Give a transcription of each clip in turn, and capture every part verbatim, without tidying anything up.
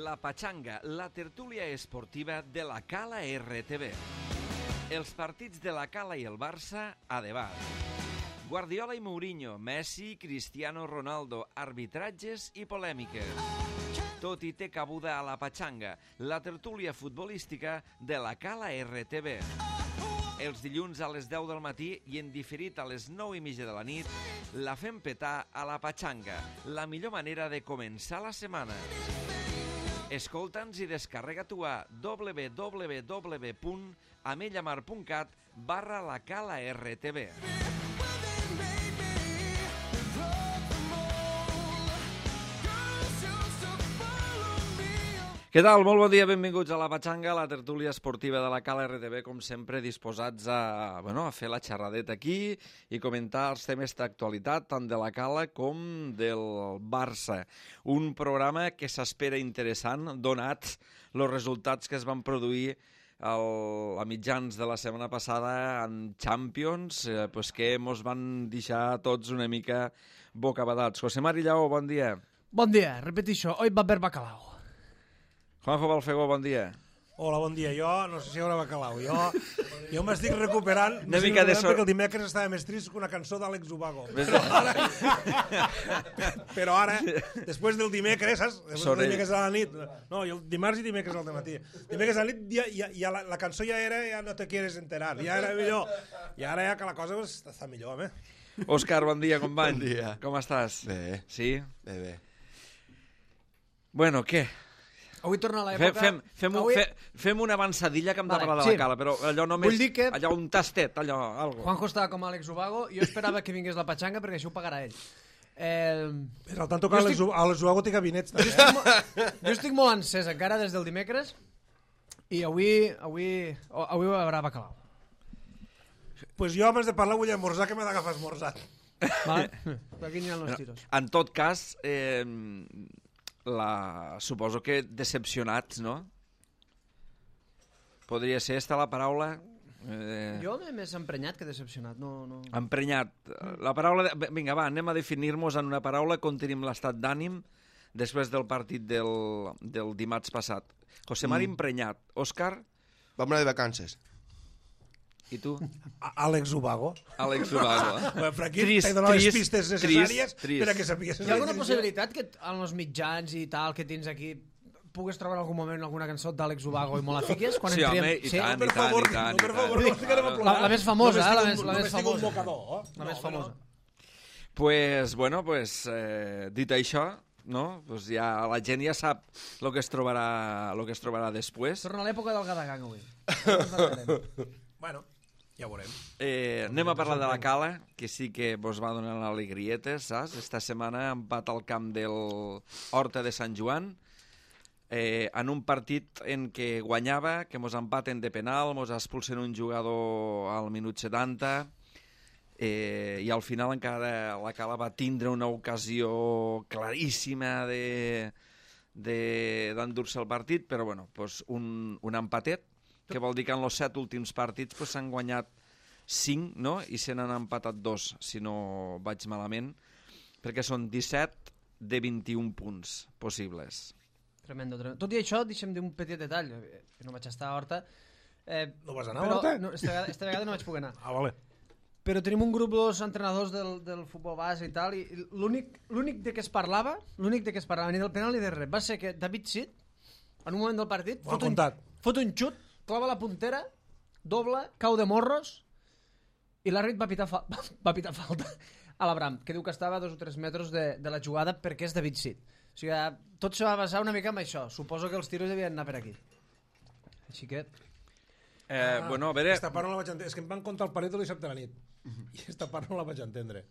La Pachanga, la tertúlia esportiva de la Cala R T V. Els partits de la Cala i el Barça a debat. Guardiola i Mourinho, Messi, Cristiano Ronaldo, arbitratges i polèmiques. Tot hi té cabuda a La Pachanga, la tertúlia futbolística de la Cala R T V. Els dilluns a les deu del matí i en diferit a les nou i mitja de la nit, la fem petar a La Pachanga, la millor manera de començar la setmana. Escolta'ns i descarrega-t'ho a w w w punt amellamar punt cat barra la Cala R T V. Què tal? Molt bon dia, benvinguts a La Pachanga, la tertúlia esportiva de la Cala R T V, com sempre disposats a, bueno, a fer la xerradeta aquí i comentar els temes d'actualitat, tant de la Cala com del Barça. Un programa que s'espera interessant, donats els resultats que es van produir al, a mitjans de la setmana passada en Champions, eh, pues que mos van deixar tots una mica bocabadats. José Mari Lleó, bon dia. Bon dia, repetixo, hoy va haver bacalao. Juanjo Balfegó, bon dia. Hola, bon dia. Jo no sé si hi haurà bacalao. Jo, jo m'estic recuperant, Una mica de so... perquè el dimecres estava més trist que una cançó d'Àlex Ubago. Però ara, però ara, després del dimecres, saps? Després Sorell. del dimecres a la nit. No, jo dimarts i dimecres al matí. Dimecres a la nit ja, ja, ja la, la cançó ja era, ja no te quieres enterar. Ja era millor. I ara ja que la cosa pues, està millor, home. Òscar, bon dia, company. Bon dia. Com estàs? Bé. Sí? Bé, bé. Bueno, què? Avui torna a Fem, l'època... fem, fem, un, Avui... fe, fem una avançadilla que hem de Vale, parlar de sí. la Cala, però allò només... Vull dir que- Allò un tastet, allò, algo. Juanjo estava com Àlex Ubago i jo esperava que vingués la Pachanga perquè això ho pagarà ell. Eh... Però al tanto que Jo Àlex estic- Àlex Ubago té gabinets. Jo estic, mo... jo estic molt encès encara des del dimecres i avui, avui, avui hi haurà bacalao. Pues jo abans de parlar vull esmorzar, que m'he d'agafar esmorzat. Vale? Per aquí aniran els tiros. En tot cas, eh, la... suposo que decepcionats, no? Podria ser esta la paraula... Eh... Jo m'he més emprenyat que decepcionat. No, no... Emprenyat. La paraula... De... Vinga, va, anem a definir-nos en una paraula com tenim l'estat d'ànim després del partit del, del dimarts passat. José Mari, mm. emprenyat. Òscar, Vam anar de vacances. i tu? Àlex Ubago. Àlex Ubago. Eh? Bueno, però aquí Trist, t'he donat les trist, pistes necessàries trist, trist. per a que sapiguessis. Hi ha alguna possibilitat que en els mitjans i tal que tens aquí pugues trobar en algun moment alguna cançó d'Àlex Ubago i me la fiques? Quan Sí, entrem... home, i tant, Per i tant, favor, i tant. no, per i favor, tant. no ficarem a La, plorar. la més famosa, No eh? La m'estic més, un- la no més m'estic un famosa. bocador, eh? La No, més home, famosa. Pues, bueno, pues, eh, dit això, no? Pues ja, la gent ja sap el que es trobarà, lo que es trobarà després. Torna a l'època del Gadagang avui. Bueno, ja ho veurem. Eh, anem a parlar de la Cala, que sí que vos va donar alegrietes, saps? Esta setmana empat al camp del Horta de Sant Joan, eh, en un partit en què guanyava, que mos empaten de penal, mos expulsen un jugador al minut setanta, eh, i al final encara la Cala va tindre una ocasió claríssima de d'endur-se el partit, però bueno, pues un, un empatet, que vol dir que en els set últims partits s'han pues, guanyat cinc, no? I se n'han empatat dos, si no vaig malament, perquè són disset de vint-i-un punts possibles. Tremendo, tremendo. Tot i això, deixem dir un petit detall, eh, que no vaig estar a Horta. Eh, No vas anar a però, Horta? No, esta, vegada, esta vegada no vaig poder anar. Ah, vale. Però tenim un grup dels entrenadors del, del futbol base i tal, i l'únic l'únic de què es parlava, l'únic de què es parlava, ni del penal ni de res, va ser que David Sid, en un moment del partit, Ho ha fot un, contat. fot un xut, clava la puntera, doble, cau de morros, i l'àrbit va, pitar fa va pitar falta a l'Abram, que diu que estava a dos o tres metres de, de la jugada perquè és David Sid. O sigui, tot se va basar una mica en això. Suposo que els tiros devien anar per aquí. Així que... Eh, Ah, bueno, a veure... Esta part no la vaig entendre. És que em van contar el partit el dissabte a la nit. I esta part no la vaig entendre.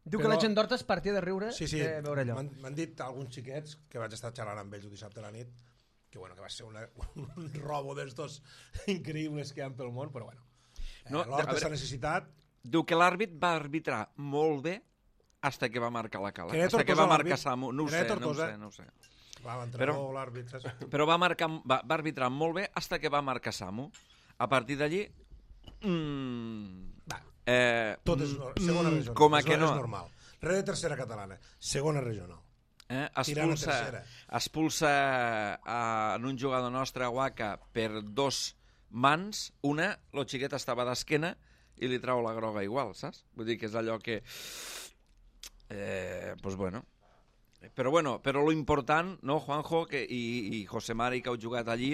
Diu Però- que la gent d'Horta es partia de riure Sí, sí, de veure allò. m'han m'han dit alguns xiquets que vaig estar xerrant amb ells el dissabte a la nit que, bueno, que va ser una, un robo d'estos increïbles que hi ha pel món, però bueno. Eh, No, no, a L'Horta veure- s'ha necessitat. Diu que l'àrbit va arbitrar molt bé hasta que va marcar la Cala. Que era Hasta que va Tortosa marcar l'àrbit. Samu. No ho Era sé, no ho Tortosa. sé, no ho sé. Va, l'entrenador, l'àrbit, saps? Però va, marcar, va, va arbitrar molt bé hasta que va marcar Samu. A partir d'allí... Mm, Va, eh, tot és mm, segona mm, regional. Com a és, que no. És normal. Res de tercera catalana. Segona regional. Eh? Tirant a Expulsa, tercera. expulsa a, en un jugador nostre, Waka, per dos mans. Una, lo xiquet estava d'esquena i li trau la groga igual, saps? Vull dir que és allò que... Eh, pues bueno... Però bueno, però lo important, no, Juanjo, que, i, i José Mari, que heu jugat allí,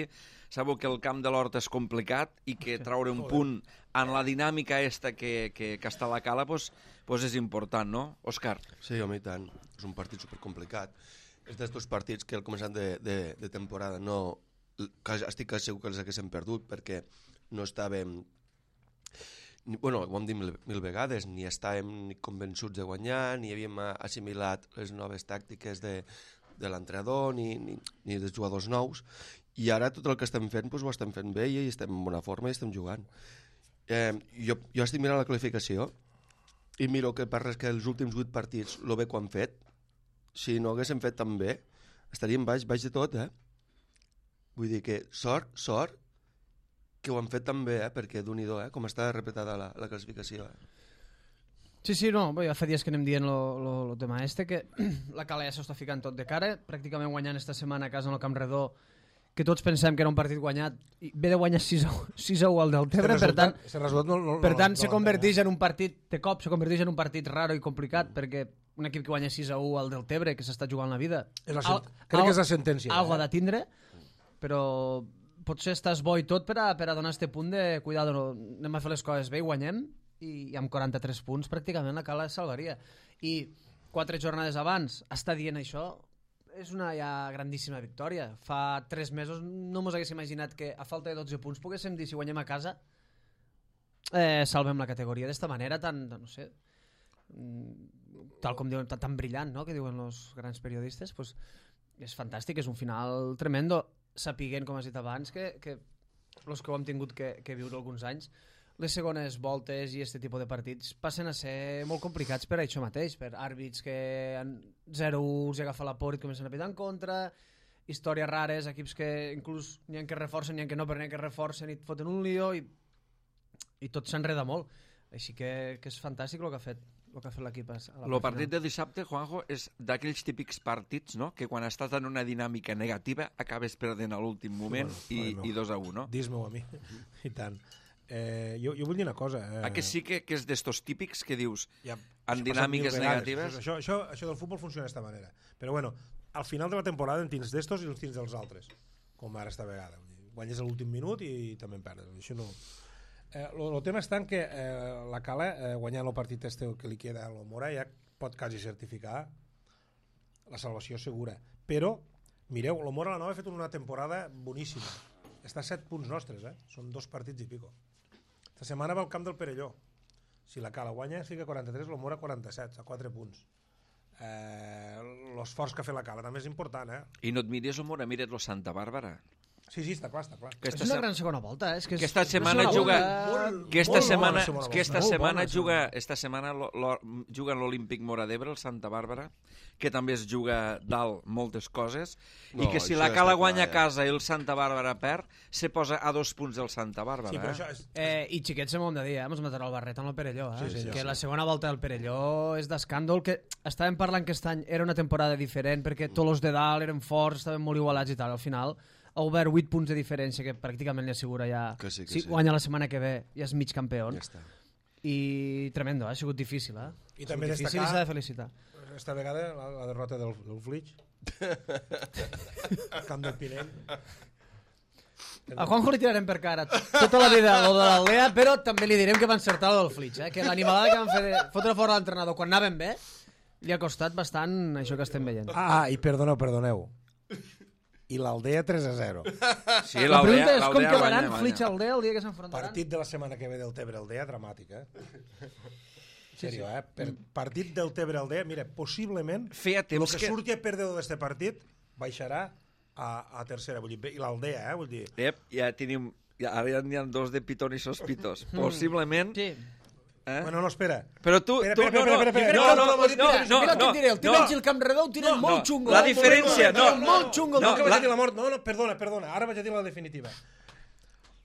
sabeu que el camp de l'Horta és complicat i que traure un punt en la dinàmica esta que, que, que està a la cala pues, pues és important, no, Òscar? Sí, home, i tant. És un partit supercomplicat. És d'estos partits que al començament de, de, de temporada no... Estic segur que els haguéssim perdut perquè no estàvem... Ni, bueno, ho hem dit mil, mil vegades, ni estàvem ni convençuts de guanyar, ni havíem assimilat les noves tàctiques de, de l'entrenador, ni, ni, ni dels jugadors nous, i ara tot el que estem fent doncs, ho estem fent bé i estem en bona forma i estem jugant. Eh, jo, jo estic mirant la qualificació i miro que per res que els últims vuit partits lo bé que han fet, si no haguéssim fet tan bé, estaríem baix, baix de tot, eh? Vull dir que sort, sort, que ho han fet tan bé, eh? Perquè d'un-i-do, eh? Com està repetada la, la classificació. Eh? Sí, sí, no, bé, ja fa dies que anem dient el tema este, que la Cala ja s'està ficant tot de cara, pràcticament guanyant esta setmana a casa en el Camp Redó, que tots pensem que era un partit guanyat, i ve de guanyar sis a u al Deltebre, per tant, no, no, per tant no, se no, converteix en un partit, de cop, se converteix en un partit raro i complicat, perquè un equip que guanya sis a u al Deltebre, que s'està jugant la vida, és la al, crec al, que és la sentència. Algo eh? ha de tindre, però potser estàs bo i tot per a, per a donar este punt de cuidado, no, anem a fer les coses bé i guanyem, i amb quaranta-tres punts pràcticament la Cala es salvaria. I quatre jornades abans està dient això, és una ja grandíssima victòria. Fa tres mesos no mos hagués imaginat que a falta de dotze punts poguéssim dir si guanyem a casa eh, salvem la categoria d'esta manera tan, no sé, tal com diuen, tan, tan brillant, no?, que diuen els grans periodistes, pues, és fantàstic, és un final tremendo, sapiguent, com has dit abans, que, que els que ho hem tingut que, que viure alguns anys, les segones voltes i aquest tipus de partits passen a ser molt complicats per això mateix, per àrbits que en zero u els agafa la por i comencen a pitar en contra, històries rares, equips que inclús n'hi ha que reforcen, n'hi ha que no, però n'hi ha que reforcen i et foten un lío i, i tot s'enreda molt. Així que, que és fantàstic el que ha fet el que ha fet l'equip a la El partit de dissabte, Juanjo, és d'aquells típics partits, no?, que quan estàs en una dinàmica negativa acabes perdent a l'últim moment sí, bueno, i, i dos a un, no? Dis-m'ho a mi, i tant. Eh, jo, jo vull dir una cosa. Eh... Ah, que sí que, que és d'estos típics que dius ja, en dinàmiques negatives? Això, això, això del futbol funciona d'esta manera. Però bueno, al final de la temporada en tens d'estos i en tens dels altres, com ara esta vegada. Guanyes a l'últim minut i també en perdes. Això no... El eh, tema està en que eh, la Cala, eh, guanyant el partit este que li queda a l'Omora, ja pot quasi certificar la salvació segura. Però, mireu, l'Omora la Nova ha fet una temporada boníssima. Està a set punts nostres, eh? Són dos partits i pico. Esta setmana va al camp del Perelló. Si la Cala guanya, fica quaranta-tres, l'Omora quaranta-set, a quatre punts. Eh, l'esforç que ha fet la Cala també és important, eh? I no et mires l'Omora, mires lo Santa Bàrbara. Sí, sí, està clar, està clar. És una gran segona volta, eh? És que és aquesta setmana juga... Aquesta setmana, aquesta setmana juga... Esta setmana lo, lo, juga en l'Olímpic Mora d'Ebre, el Santa Bàrbara, que també es juga dalt moltes coses, no, i que si la Cala guanya a casa i el Santa Bàrbara perd, se posa a dos punts del Santa Bàrbara. Sí, però eh? això és... Eh, I xiquets hem de dir, eh? Ens matarà el barret amb el Perelló, eh? Sí, sí, que sí. la segona volta del Perelló és d'escàndol, que estàvem parlant que aquest any era una temporada diferent, perquè tots els de dalt eren forts, estaven molt igualats i tal, al final ha obert vuit punts de diferència, que pràcticament li assegura ja... Que sí, que si sí. guanya la setmana que ve, ja és mig campió. Ja està. I tremendo, eh? Ha sigut difícil, eh? I també difícil destacar... i s'ha de felicitar. Esta vegada la, la derrota del, del Flix. Camp del Pinell. A Juanjo li tirarem per cara tota la vida lo de l'Aldea, però també li direm que va encertar lo del Flix, eh? Que l'animalada que van fer de fotre fora l'entrenador quan anaven bé li ha costat bastant això que estem veient. Ah, i perdoneu, perdoneu. I l'Aldea tres a zero. Sí, La pregunta és com l'Aldea quedaran guanya, Flix guanya. Aldea el dia que s'enfrontaran. Partit de la setmana que ve del Tebre-Aldea, dramàtic, eh? En sèrio, eh? Per partit del Tebre-Aldea, mira, possiblement Feia el temps que, que... surti a perdedor d'este partit baixarà a, a tercera, vull dir, i l'Aldea, eh? Vull dir... Ep, ja tenim... Ja, ara ja n'hi ha dos de pitón i sospitos. Possiblement... Sí. Eh? Bueno, no, espera. Però tu... Espera, tu espera, no, espera, espera, no, espera. no, No, no, no, no, Mira el que et diré, el Timenys i el Camp Redó ho tenen no, molt xungo. la diferència, no. Molt xungo. No, No, que vaig la- a dir la mort. No, no, perdona, perdona. Ara vaig a dir la definitiva.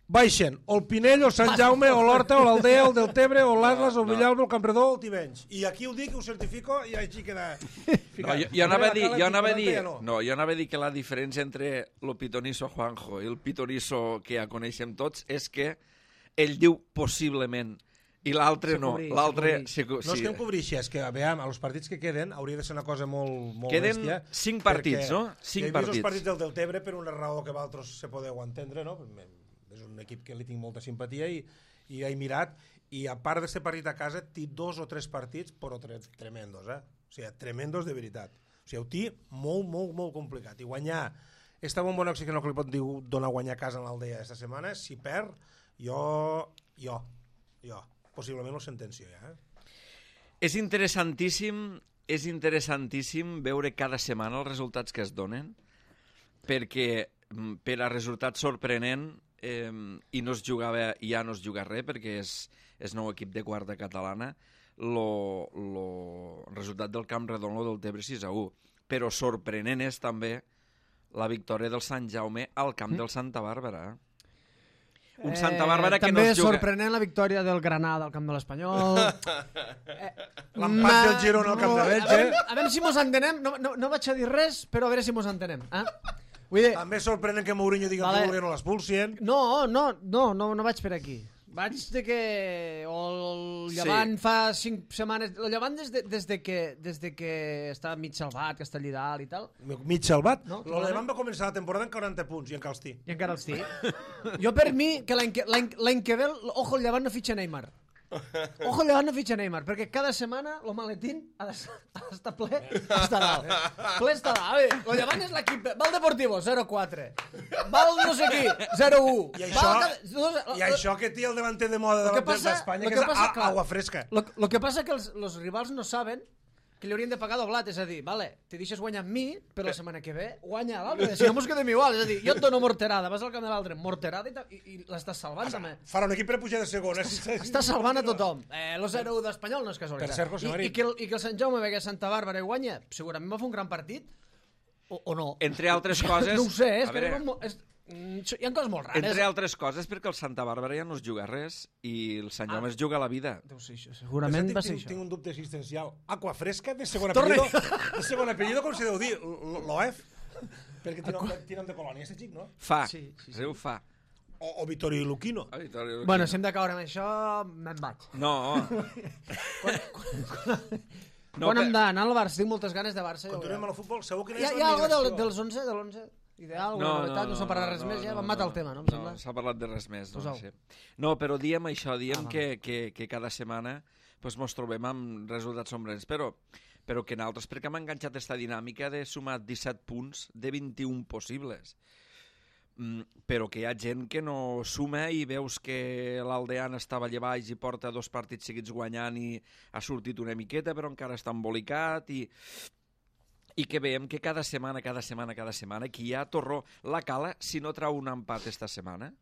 baixen o el Pinell, o Sant Jaume, o l'Horta, o l'Aldea, o el Deltebre, o l'Atlas, o el Villalba, o el Campredó, o el Tivenys. I aquí ho dic, ho certifico, i així queda... No, jo, jo anava a dir, jo anava a dir, no, jo anava a dir que la diferència entre el pitonisso Juanjo i el pitonisso que ja coneixem tots és que ell diu possiblement i l'altre no. L'altre... No és que em cobrixi, és que veiem, als partits que queden hauria de ser una cosa molt, molt queden bèstia. Queden cinc partits, no? Cinc partits. He vist partits. els partits del Deltebre per una raó que vosaltres se podeu entendre, no? És un equip que li tinc molta simpatia i, i he mirat, i a part d'aquest partit a casa té dos o tres partits però tre tremendos, eh? O sigui, tremendos de veritat. O sigui, ho té molt, molt, molt complicat. I guanyar, esta bomba oxi que no li pot dir donar a guanyar a casa en l'Aldea esta setmana, si perd, jo, jo, jo, possiblement ho sentencio ja, eh? És interessantíssim, és interessantíssim veure cada setmana els resultats que es donen, perquè per a resultat sorprenent eh, i no es jugava, ja no es juga res perquè és, és nou equip de quarta catalana, lo, lo resultat del Camp Redon, lo del Tebre sis a u, però sorprenent és també la victòria del Sant Jaume al camp del Santa Bàrbara. Un Eh, Santa Bàrbara que no també es juga... sorprenent la victòria del Granada al camp de l'Espanyol. eh, L'empat del Girona al camp de Belge. A veure, a veure si mos entenem. No, no, no vaig a dir res, però a veure si mos entenem. Eh? Vull dir... També sorprenent que Mourinho digui Vale. que no l'expulsien. No, no, no, no, no vaig per aquí. Vaig de que el Llevant Sí. fa cinc setmanes... El Llevant des de, des de, que, des de que està mig salvat, que està allà dalt i tal, Mig salvat. No, No, L'Alemany va començar la temporada amb quaranta punts i encara els té. i encara els té. Jo per mi, que l'any que, l'any, l'any que ve, el- ojo, el Llevant no fitxa Neymar. Ojo, el Llevant no fitxa Neymar, perquè cada setmana el maletín ha d'estar ha d'estar ple, està dalt. Ple està dalt. A veure, el Llevant és l'equip... Va el Deportivo, zero quatre. Va el no sé qui, zero u. I Va això, el cada- I això que té el davanter de moda de Lo que la- passa- d'Espanya, lo que que és passa, a- clar, agua fresca. Lo, lo que passa que els, els rivals no saben que li haurien de pagar doblat, és a dir, vale, te deixes guanyar amb mi, però la setmana que ve guanya l'altre, si no mos quedem igual, és a dir, jo et dono morterada, vas al camp de l'altre, morterada i, ta- i, i l'estàs salvant també. Farà un equip per pujar de segona. Si Està salvant a tothom. Eh, lo zero u d'Espanyol no és casualitat. Per cert, José I, Mari. i, que el, I que el Sant Jaume vegi a Santa Bàrbara i guanya, segurament va fer un gran partit, o, o no. Entre altres coses... No ho sé, és a que veure, arriben mo- és, mm, hi ha coses molt rares. entre altres coses perquè el Santa Bàrbara ja no es juga res i el Sant Jaume es juga la vida. Deu ser això, segurament va ser tinc, això. tinc un dubte existencial. Aqua fresca de segon Torna. apellido. De segon apellido, com se deu dir? L'O F? Perquè tiene nom de, tiene nom de colònia, este xic, no? Fa, Sí, sí, sí. sí, ho fa. O, o Vittorio Luquino. Ah, Vittorio Luquino. Bueno, si hem de caure amb això, me'n vaig. No. No, Quan hem d'anar al Barça? Tinc moltes ganes de Barça. ja ho Continuem veurem. amb el futbol. Segur que no Hi ha, és hi ha alguna l'emigració. del, dels onze, de l'onze? Ideal, alguna novetat? No, s'ha parlat res més, ja vam matar el tema, no? Em No, sembla. s'ha parlat de res més. No, Posau. sí. No, però diem això, diem Ah, que, que, que cada setmana pues, mos trobem amb resultats sombrents, però, però que nosaltres, perquè hem enganxat aquesta dinàmica de sumar disset punts de vint-i-un possibles. Mm, però que hi ha gent que no suma i veus que l'Aldean estava allà baix i porta dos partits seguits guanyant i ha sortit una miqueta però encara està embolicat i, i que veiem que cada setmana, cada setmana, cada setmana que hi ha Torró, la Cala, si no trau un empat esta setmana,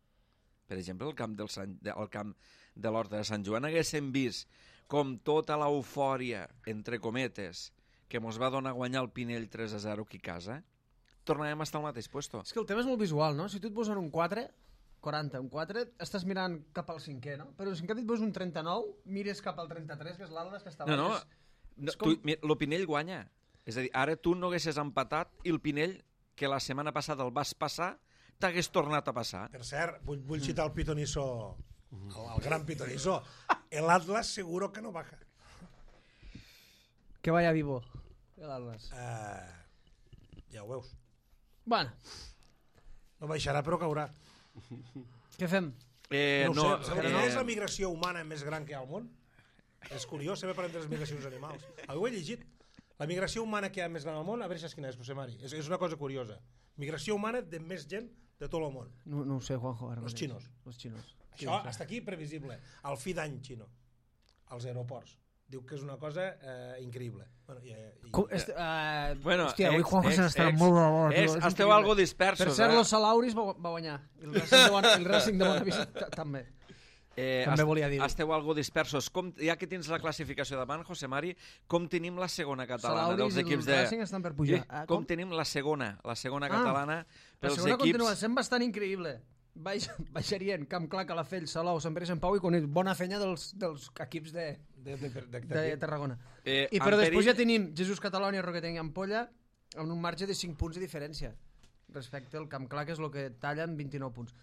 per exemple el camp, del Sant, el camp de l'Horta de Sant Joan, haguéssim vist com tota l'eufòria, entre cometes, que mos va donar a guanyar el Pinell tres a zero aquí a casa, tornarem a estar al mateix puesto. És que el tema és molt visual, no? Si tu et posen un quatre, quaranta, un quatre, estàs mirant cap al cinquè, no? Però si en canvi et poses un trenta-nou, mires cap al trenta-tres, que és l'Aldes, que està No, no, baix. no és com- tu, mira, el Pinell guanya. És a dir, ara tu no haguessis empatat i el Pinell, que la setmana passada el vas passar, t'hagués tornat a passar. Per cert, vull, vull citar el pitonisso, el, el gran pitonisso. El Atlas seguro que no baja. Que vaya vivo, l'Atlas. Uh, ja ho veus. Bueno, No baixarà, però caurà. què fem? Eh, no, no, ho sé, sabeu quina eh, és la migració humana més gran que hi ha al món? És curiós, sempre parlem de les migracions animals. Ho he llegit. La migració humana que hi ha més gran al món, a veure si saps quina és, José Mari. És, és una cosa curiosa. Migració humana de més gent de tot el món. No, no ho sé, Juanjo. Ara Los mateix. chinos. Los chinos. Sí, Això, ho sé. hasta aquí, previsible. El fi d'any xino. Als aeroports. Diu que és una cosa eh, increïble. Bueno, i, i, Com, este, uh, Bueno, hòstia, avui ex, Juanjo ex, se n'està ex, molt de bo. tio, ex, és esteu increïble. algo dispersos, Per cert, eh? los Salauris va, va guanyar. I el Racing de, Bona, el Racing de Bonavista ta- també. Eh, També est- volia dir-ho. Esteu algo dispersos. Com, ja que tens la classificació davant, José Mari, com tenim la segona catalana Salauris dels i el equips de... Racing estan per pujar. Sí, Ah, com? com? tenim la segona, la segona Ah, catalana La pels segona equips... continua sent bastant increïble. baix, baixarien Camp Clar, Calafell, Salou, Sant Pere i Sant Pau i Cunit. Bona feina dels, dels equips de, De, de, de, de, de Tarragona. Eh, I però en després perill- ja tenim Jesús Catalònia, Roquetenc i Ampolla amb un marge de cinc punts de diferència respecte al Camp Clar, que és el que tallen vint-i-nou punts.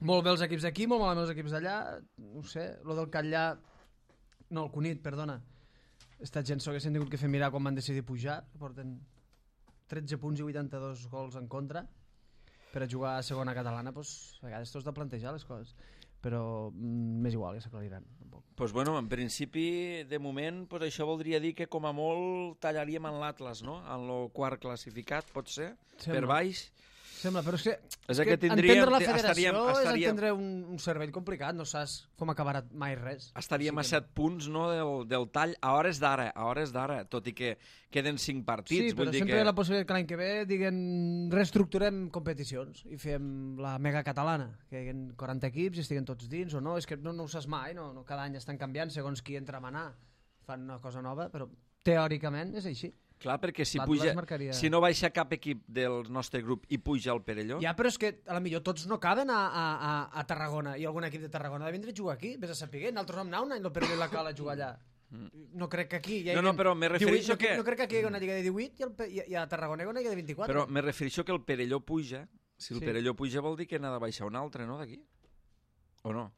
Molt bé els equips d'aquí, molt malament els equips d'allà. No ho sé, lo del Catllà... No, el Cunit, perdona. Esta gent s'ho haguessin tingut que fer mirar quan van decidir pujar. Porten tretze punts i vuitanta-dos gols en contra. Per a jugar a segona catalana, doncs, a vegades t'ho has de plantejar les coses. Però mm, m'és igual, ja s'aclariran. Tampoc. Pues bueno, en principi, de moment, pues això voldria dir que com a molt tallaríem en l'Atlas, no? En el quart classificat, pot ser, Sembla. per baix. Sembla, però és que, És és que que tindríem- entendre la te- federació estaríem- és estaríem- entendre un, un cervell complicat, no saps com acabarà mai res. Estaríem a Així que set punts, no?, del, del tall a hores d'ara, a hores d'ara, tot i que queden cinc partits. Sí, però vull dir sempre que... hi ha la possibilitat que l'any que ve diguen reestructurem competicions i fem la mega catalana, que hi hagin quaranta equips i estiguen tots dins o no, és que no, no ho saps mai, no, no, cada any estan canviant segons qui entra a manar, fan una cosa nova, però teòricament és així. Clar, perquè si, L'Atlas puja, marcaria- si no baixa cap equip del nostre grup i puja al Perelló, Ja, però és que a la millor tots no caben a, a, a, a Tarragona i algun equip de Tarragona ha de vindre a jugar aquí, vés a saber, nosaltres vam anar un any el Perelló i la Cala a jugar allà. No crec que aquí... Hi No, no, però me refereixo divuit, que- No, no crec que aquí hi hagi una lliga de divuit i, el, Pe- i, i a Tarragona hi ha una lliga de vint-i-quatre. però me refereixo que el Perelló puja. Si el Sí. Perelló puja vol dir que n'ha de baixar un altre, no, d'aquí? O no?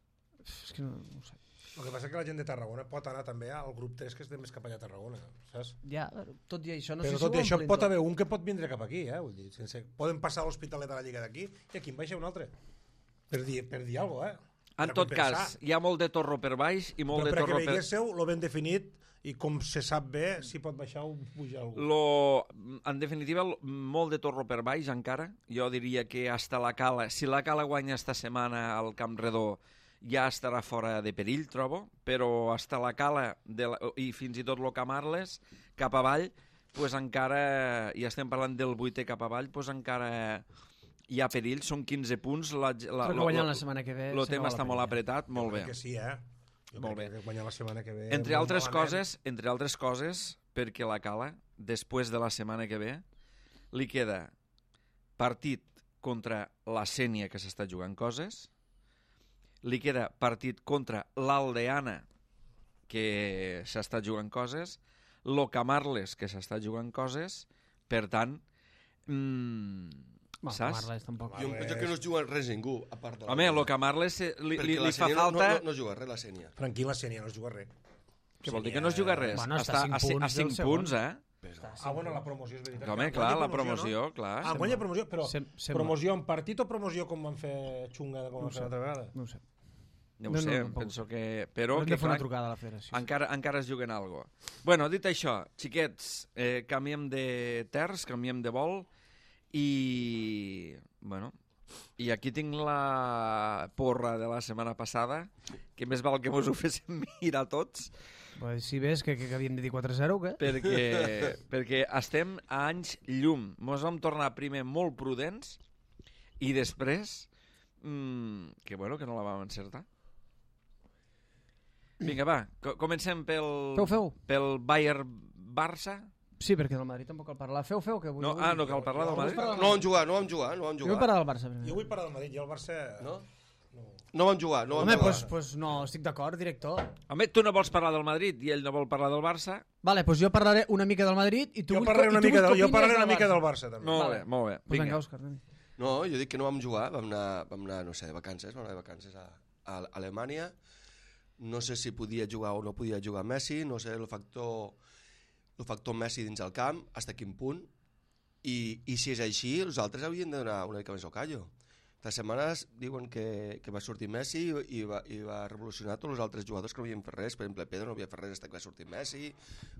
És que no, no ho sé. El que passa és que la gent de Tarragona pot anar també al grup tres, que és de més cap allà a Tarragona, saps? Ja, tot i això, no Però sé si tot ho i això omplin pot tot. haver un que pot vindre cap aquí, eh? Vull dir, sense... Poden passar a l'Hospitalet a la Lliga d'aquí i aquí en baixa un altre. Per dir, per dir alguna cosa, eh? En Per tot compensar. cas, hi ha molt de torro per baix i molt Però de per a torro que per... veiéssiu lo ben definit i com se sap bé si pot baixar o pujar algú. Lo, en definitiva, lo- molt de torro per baix encara. Jo diria que hasta la Cala, si la Cala guanya esta setmana al Camp Redó, ja estarà fora de perill, trobo, però hasta la Cala de la, i fins i tot lo Camarles, cap avall, pues encara, i estem parlant del vuitè cap avall, pues encara hi ha perill, són quinze punts. La, la, Crec que guanyant la setmana que ve... El se tema acaba està la molt penya. apretat, molt Jo bé. crec que sí, eh? Jo Molt crec bé. que guanyar la setmana que ve... Entre molt altres malament. coses, entre altres coses, perquè la Cala, després de la setmana que ve, li queda partit contra la Sénia, que s'està jugant coses, li queda partit contra l'Aldeana, que s'està jugant coses, lo Camarles, que s'està jugant coses, per tant, mmm, Bueno, saps? Camarles tampoc. Jo em penso que no es juga res ningú, a part de la... Home, lo Camarles eh, li, Perquè li, la li fa Sénia no- falta... No, no, no juga res, la Sénia. Tranquil, la Sénia no es juga res. Què vol dir que no es juga res? Bueno, està a cinc a, ci- a punts del cinc segon. punts, eh? Ah, bueno, la promoció és veritat. Home, Que clar, guanya la promoció, no? clar. Ah, guanya promoció, però Sem- sembla. promoció en partit o promoció com van fer xunga com No van sé. fer l'altra vegada? No ho sé. No ho No, no, sé, tampoc penso ho sé. que... Però Hem que, de fer una clar, trucada a la federació. encara, encara es juguen algo. Bueno, dit això, xiquets, eh, canviem de terç, canviem de vol i... Bueno, i aquí tinc la porra de la setmana passada, que més val que mos ho féssim mirar tots, Pues, si ves que, que, que havíem de dir quatre a zero o què? perquè, perquè estem a anys llum. Mos vam tornar primer molt prudents i després mmm, que bueno, que no la vam encertar. Vinga, va, co comencem pel, Feu, feu. pel Bayern-Barça. Sí, perquè del Madrid tampoc cal parlar. Feu, feu, que vull... No, ah, no cal parlar del Jo- Madrid? jo- No vam jugar, no vam jugar, no vam Jo vull jugar. parlar del Barça primer. Jo vull parlar del Madrid i el Barça... No? No. No vam jugar, no vam Home, jugar. doncs pues, pues no, estic d'acord, director. Home, tu no vols parlar del Madrid i ell no vol parlar del Barça? Vale, doncs pues jo parlaré una mica del Madrid i tu Jo vull, parlaré i una tu mica, vull del, que jo parlaré opines una mica del Barça. Barça, també. Molt Vale. bé, molt bé. Pues Vinga. vinga, Òscar. anem. No, jo dic que no vam jugar, vam anar, vam anar no sé, de vacances, vam anar de vacances a, a Alemanya. No sé si podia jugar o no podia jugar Messi, no sé el factor, el factor Messi dins el camp, fins a quin punt. I, i si és així, els altres haurien de donar una mica més al callo. Les setmanes diuen que, que va sortir Messi i, i, va, i va revolucionar tots els altres jugadors que no havien fet res. Per exemple, Pedro no havia fet res fins que va sortir Messi,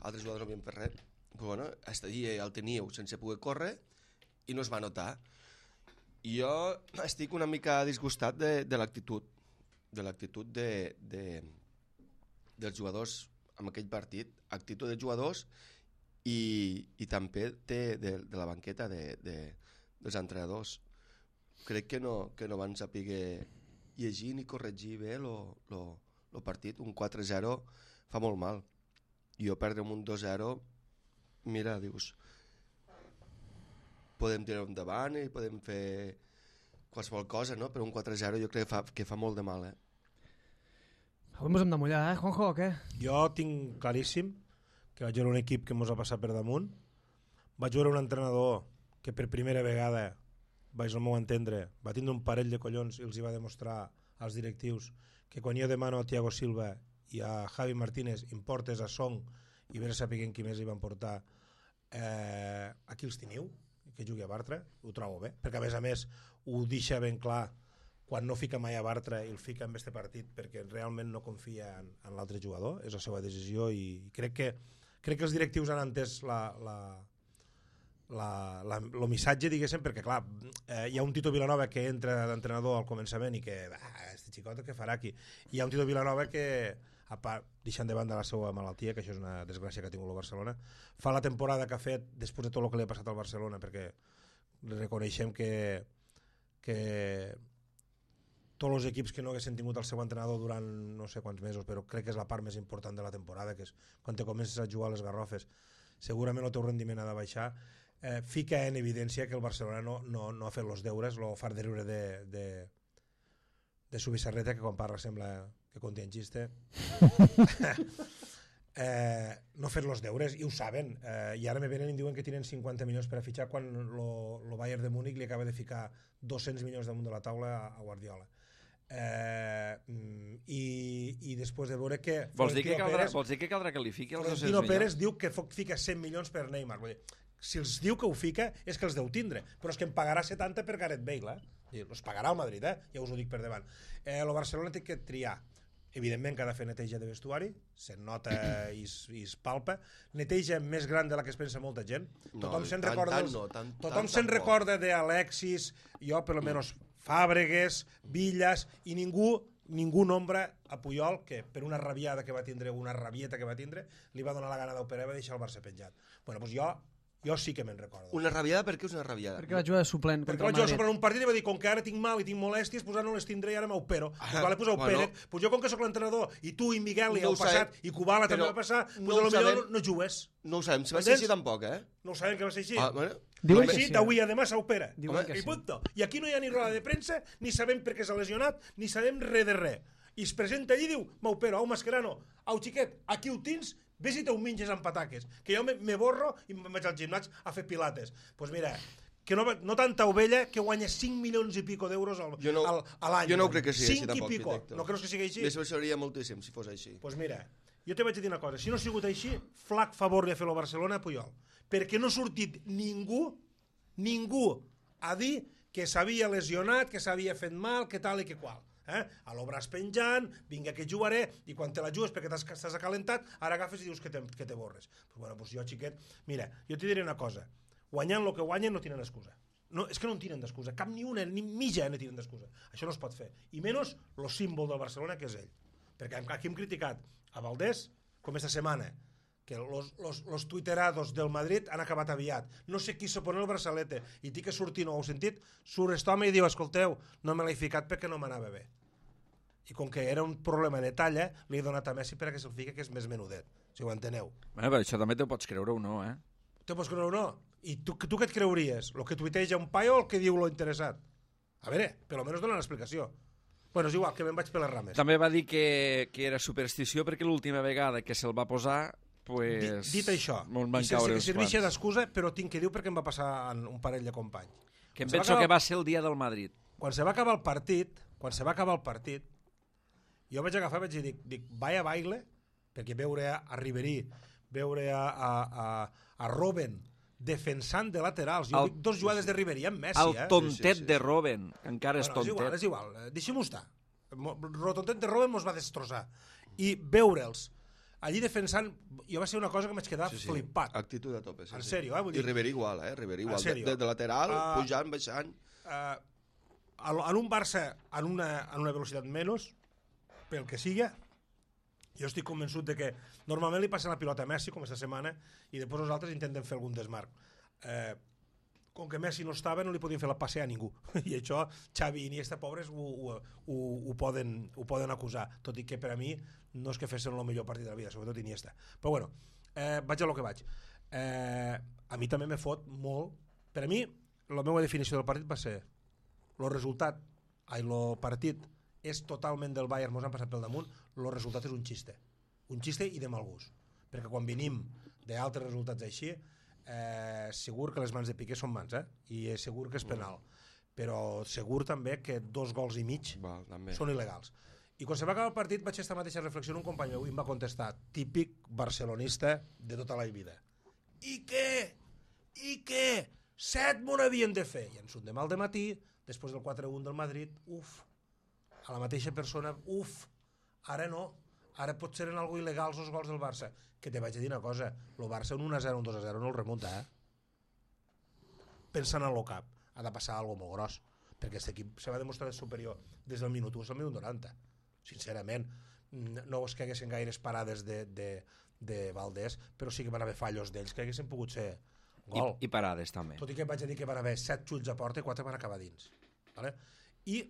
altres jugadors no havien fet res. Però bueno, aquest dia el teníeu sense poder córrer i no es va notar. I jo estic una mica disgustat de, de l'actitud de l'actitud de, de, dels jugadors en aquell partit, actitud de jugadors i, i també de, de, de la banqueta de, de, dels entrenadors. Crec que no, que no van saber llegir ni corregir bé el partit. Un quatre a zero fa molt mal. I jo perdre un dos a zero, mira, dius, podem tirar endavant i podem fer qualsevol cosa, no? Per un quatre zero jo crec que fa, que fa molt de mal, eh? Avui ens hem de mullar, eh, Juanjo, o què? Jo tinc claríssim que vaig veure un equip que ens ha passat per damunt, vaig veure un entrenador que per primera vegada, vaig al meu entendre, va tindre un parell de collons i els hi va demostrar als directius que quan jo demano a Thiago Silva i a Javi Martínez importes a Song i vés a saber qui més hi van portar, eh, aquí els teniu, que jugui a Bartra, ho trobo bé, perquè a més a més ho deixa ben clar quan no fica mai a Bartra i el fica en este partit perquè realment no confia en, en l'altre jugador, és la seva decisió i crec que, crec que els directius han entès la, la, la, la, el missatge, diguéssim, perquè clar, eh, hi ha un Tito Vilanova que entra d'entrenador al començament i que, ah, este xicot què farà aquí? I hi ha un Tito Vilanova que, a part, deixant de banda la seva malaltia, que això és una desgràcia que ha tingut el Barcelona, fa la temporada que ha fet després de tot el que li ha passat al Barcelona, perquè reconeixem que que tots els equips que no haguessin tingut el seu entrenador durant no sé quants mesos, però crec que és la part més important de la temporada, que és quan te comences a jugar a les garrofes, segurament el teu rendiment ha de baixar, eh, fica en evidència que el Barcelona no, no, no ha fet els deures, lo far de riure de, de, de su Bizarreta, que quan parla sembla que conté en xiste, eh, no ha fet els deures, i ho saben, eh, i ara me venen i em diuen que tenen cinquanta milions per a fitxar quan el Bayern de Múnich li acaba de ficar dos-cents milions damunt de la taula a, a Guardiola. Eh, i, i després de veure que vols dir que, caldrà, Pérez, vols dir que caldrà que li fiqui els dos-cents Florentino milions? Pérez diu que fica cent milions per Neymar. Vull dir, si els diu que ho fica és que els deu tindre, però és que em pagarà setanta per Gareth Bale, eh? Els pagarà el Madrid, eh? Ja us ho dic per davant. Eh, el Barcelona té que triar, evidentment que ha de fer neteja de vestuari, se'n nota i, i es palpa, neteja més gran de la que es pensa molta gent, No, tothom se'n tant- recorda tant dels- no, tant- tothom tant se'n tampoc. recorda d'Alexis, jo per almenys Fàbregues, Villas, i ningú ningú nombra a Puyol, que per una rabiada que va tindre, una rabieta que va tindre, li va donar la gana d'operar i va deixar el Barça penjat. Bueno, doncs jo, jo sí que me'n recordo. Una rabiada, per què és una rabiada? Perquè va jugar de suplent Perquè contra vaig el jugar Madrid. sobre un partit i va dir, com que ara tinc mal i tinc molèsties, pues ara no les tindré i ara m'opero. Ah, Pues vale, pues bueno. opera't. Pues jo, com que sóc l'entrenador, i tu i Miguel i No el ho sabem, passat, i Kubala també però va passar, pues no a ho lo millor sabem. no, no jugues. No ho sabem, si va ser Entens? així tampoc, eh? No ho sabem que va ser així. Ah, bueno. Diuen Diuen que sí, sí. d'avui a demà s'opera. Diuen que I sí. punto. I aquí no hi ha ni roda de premsa, ni sabem per què s'ha lesionat, ni sabem res de res. I es presenta allí i diu, m'opero, au Mascherano, au xiquet, aquí ho tens, vés i te ho minges amb pataques, que jo me, me borro i me'n vaig al gimnàs a fer pilates. Doncs pues mira, que no, no tanta ovella que guanya cinc milions i pico d'euros al, Jo no- al, a l'any. jo no ho crec que sigui així, cinc tampoc, i pico. Víctor. No creus que sigui així? Me sorprendria moltíssim si fos així. Doncs pues mira, jo te vaig dir una cosa, si no ha sigut així, flac favor li ha fet el Barcelona a Puyol, perquè no ha sortit ningú, ningú a dir que s'havia lesionat, que s'havia fet mal, que tal i que qual. Eh? A l'obràs penjant, vinga que jugaré, i quan te la jugues perquè t'has t'has acalentat, ara agafes i dius que te, que te borres. Pues bueno, pues jo, xiquet, mira, jo t'hi diré una cosa, guanyant el que guanyen no tenen excusa. No, és que no en tenen d'excusa, cap ni una, ni mitja no tenen d'excusa. Això no es pot fer. I menys el símbol del Barcelona, que és ell. Perquè aquí hem criticat a Valdés, com esta setmana, que los, los, los tuiterados del Madrid han acabat aviat. No sé qui se pone el braçalete i té que sortir, no ho heu sentit? Surt aquest home i diu, escolteu, no me l'he ficat perquè no m'anava bé. I com que era un problema de talla, li he donat a Messi perquè se'l fica, que és més menudet, si ho enteneu. Bueno, però això també t'ho pots creure o no, eh? Te pots creure o no? I tu, tu què et creuries? El que tuiteja un paio o el que diu lo interessat? A veure, per almenys dona l'explicació. Bueno, és igual, que me'n vaig per les rames. També va dir que, que era superstició perquè l'última vegada que se'l va posar, pues, Dit, dit això, me'n i van sense caure que uns serveixi quants. d'excusa, però tinc que dir perquè em va passar en un parell de companys. Que em Quan se va penso que acabar- va ser el dia del Madrid. Quan se va acabar el partit, quan se va acabar el partit, jo vaig agafar i vaig dir, dic, dic vaya baile, perquè veure a, a Ribery, veure a, a, a, a Robben defensant de laterals, jo El- dic dos jugades de Ribery amb Messi, El eh? tontet Sí, sí, sí, de sí. Robben, que encara és Bueno, és igual, tontet. és igual, eh, deixem-ho estar. Mo- El tontet de Robben mos va destrossar. I veure'ls allí defensant, jo va ser una cosa que m'haig quedat Sí, sí. flipat. Actitud a tope. Sí, En sí. sèrio, eh? Vull dir- I Ribéry igual, eh? Ribéry igual. En sèrio. De, de lateral, Ah. pujant, baixant. Uh, en un Barça en una, en una velocitat menys, pel que siga, jo estic convençut de que normalment li passen la pilota a Messi, com aquesta setmana, i després els altres intenten fer algun desmarc. Eh, com que Messi no estava, no li podien fer la passe a ningú. I això, Xavi i Iniesta, pobres, ho, ho, ho, ho, poden, ho poden acusar. Tot i que per a mi no és que fessin el millor partit de la vida, sobretot Iniesta. Però bueno, eh, vaig a lo que vaig. Eh, a mi també me fot molt... Per a mi, la meva definició del partit va ser el resultat, el partit és totalment del Bayern, mos han passat pel damunt, el resultat és un xiste. Un xiste i de mal gust. Perquè quan venim d'altres resultats així, eh, segur que les mans de Piqué són mans, eh? I segur que és penal. Però segur també que dos gols i mig Val, també. són il·legals. I quan se va acabar el partit vaig estar mateixa reflexió en un company meu i em va contestar, típic barcelonista de tota la vida. I què? I què? Set m'ho n'havien de fer. I ens un demà al dematí, després del quatre a un del Madrid, uf, a la mateixa persona, uf, ara no, ara pot ser en algo il·legals els gols del Barça. Que te vaig a dir una cosa, el Barça un un a zero, un dos a zero no el remunta, eh? Pensant en el cap, ha de passar alguna cosa molt gros, perquè aquest equip se va demostrar superior des del minut u al minut noranta. Sincerament, no és que haguessin gaires parades de, de, de Valdés, però sí que van haver fallos d'ells que haguessin pogut ser gol. I, i parades també. Tot i que vaig a dir que van haver set xuts a porta i quatre van acabar dins. Vale? I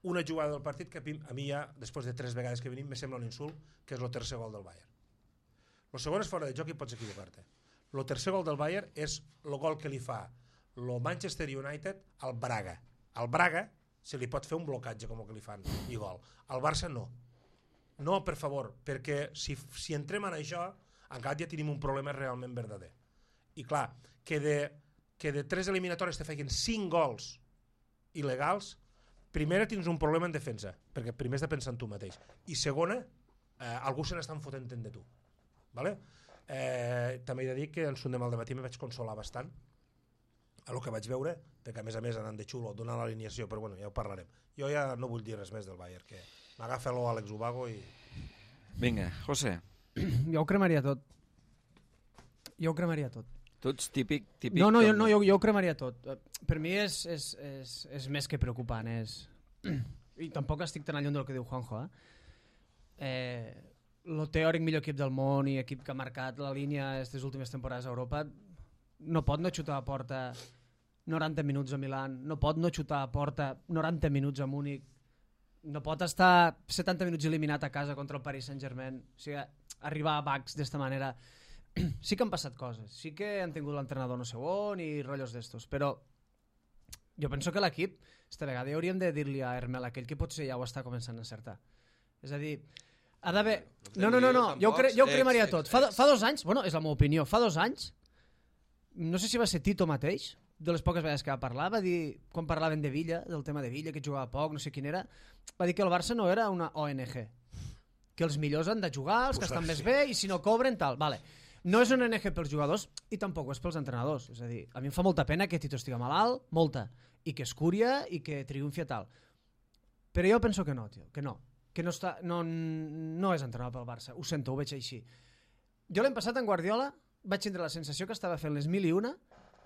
una jugada del partit que a mi ja, després de tres vegades que venim, me sembla un insult, que és el tercer gol del Bayern. El segon és fora de joc i pots equivocar-te. El tercer gol del Bayern és el gol que li fa el Manchester United al Braga. Al Braga se li pot fer un blocatge com el que li fan i gol. Al Barça no. No, per favor, perquè si, si entrem en això, encara ja tenim un problema realment verdader. I clar, que de, que de tres eliminatòries te feien cinc gols il·legals, primera tens un problema en defensa, perquè primer has de pensar en tu mateix. I segona, eh, algú se n'està fotent de tu. Vale? Eh, també he de dir que en son demà al dematí me vaig consolar bastant a lo que vaig veure, perquè a més a més anant de xulo donant l'alineació, però bueno, ja ho parlarem. Jo ja no vull dir res més del Bayern, que m'agafa l'Àlex Ubago i... Vinga, José. Jo ho cremaria tot. Jo ho cremaria tot. Tu ets típic... típic No, no, jo, com- no jo, jo ho cremaria tot. Per mi és, és, és, és més que preocupant. És... I tampoc estic tan lluny del que diu Juanjo. Eh? Eh, el teòric millor equip del món i equip que ha marcat la línia aquestes últimes temporades a Europa no pot no xutar a porta noranta minuts a Milan, no pot no xutar a porta noranta minuts a Múnich, no pot estar setanta minuts eliminat a casa contra el Paris Saint-Germain. O sigui, arribar a Bacs d'esta manera... Sí que han passat coses, sí que han tingut l'entrenador no sé on i rotllos d'estos, però jo penso que l'equip, esta vegada ja hauríem de dir-li a Hermel aquell que potser ja ho està començant a encertar. És a dir, ha d'haver... No, no, no, no, jo, cre jo ho cremaria tot. Fa, do fa dos anys, bueno, és la meva opinió, fa dos anys, no sé si va ser Tito mateix, de les poques vegades que va parlar, va dir, quan parlaven de Villa, del tema de Villa, que jugava poc, no sé quin era, va dir que el Barça no era una O N G, que els millors han de jugar, els que estan més bé, i si no cobren, tal. Vale. No és una O N G pels jugadors i tampoc ho és pels entrenadors. És a dir, a mi em fa molta pena que Tito estigui malalt, molta, i que es curia i que triomfi a tal. Però jo penso que no, tio, que no. Que no, està, no, no és entrenador pel Barça. Ho sento, ho veig així. Jo l'hem passat en Guardiola, vaig tindre la sensació que estava fent les mil i una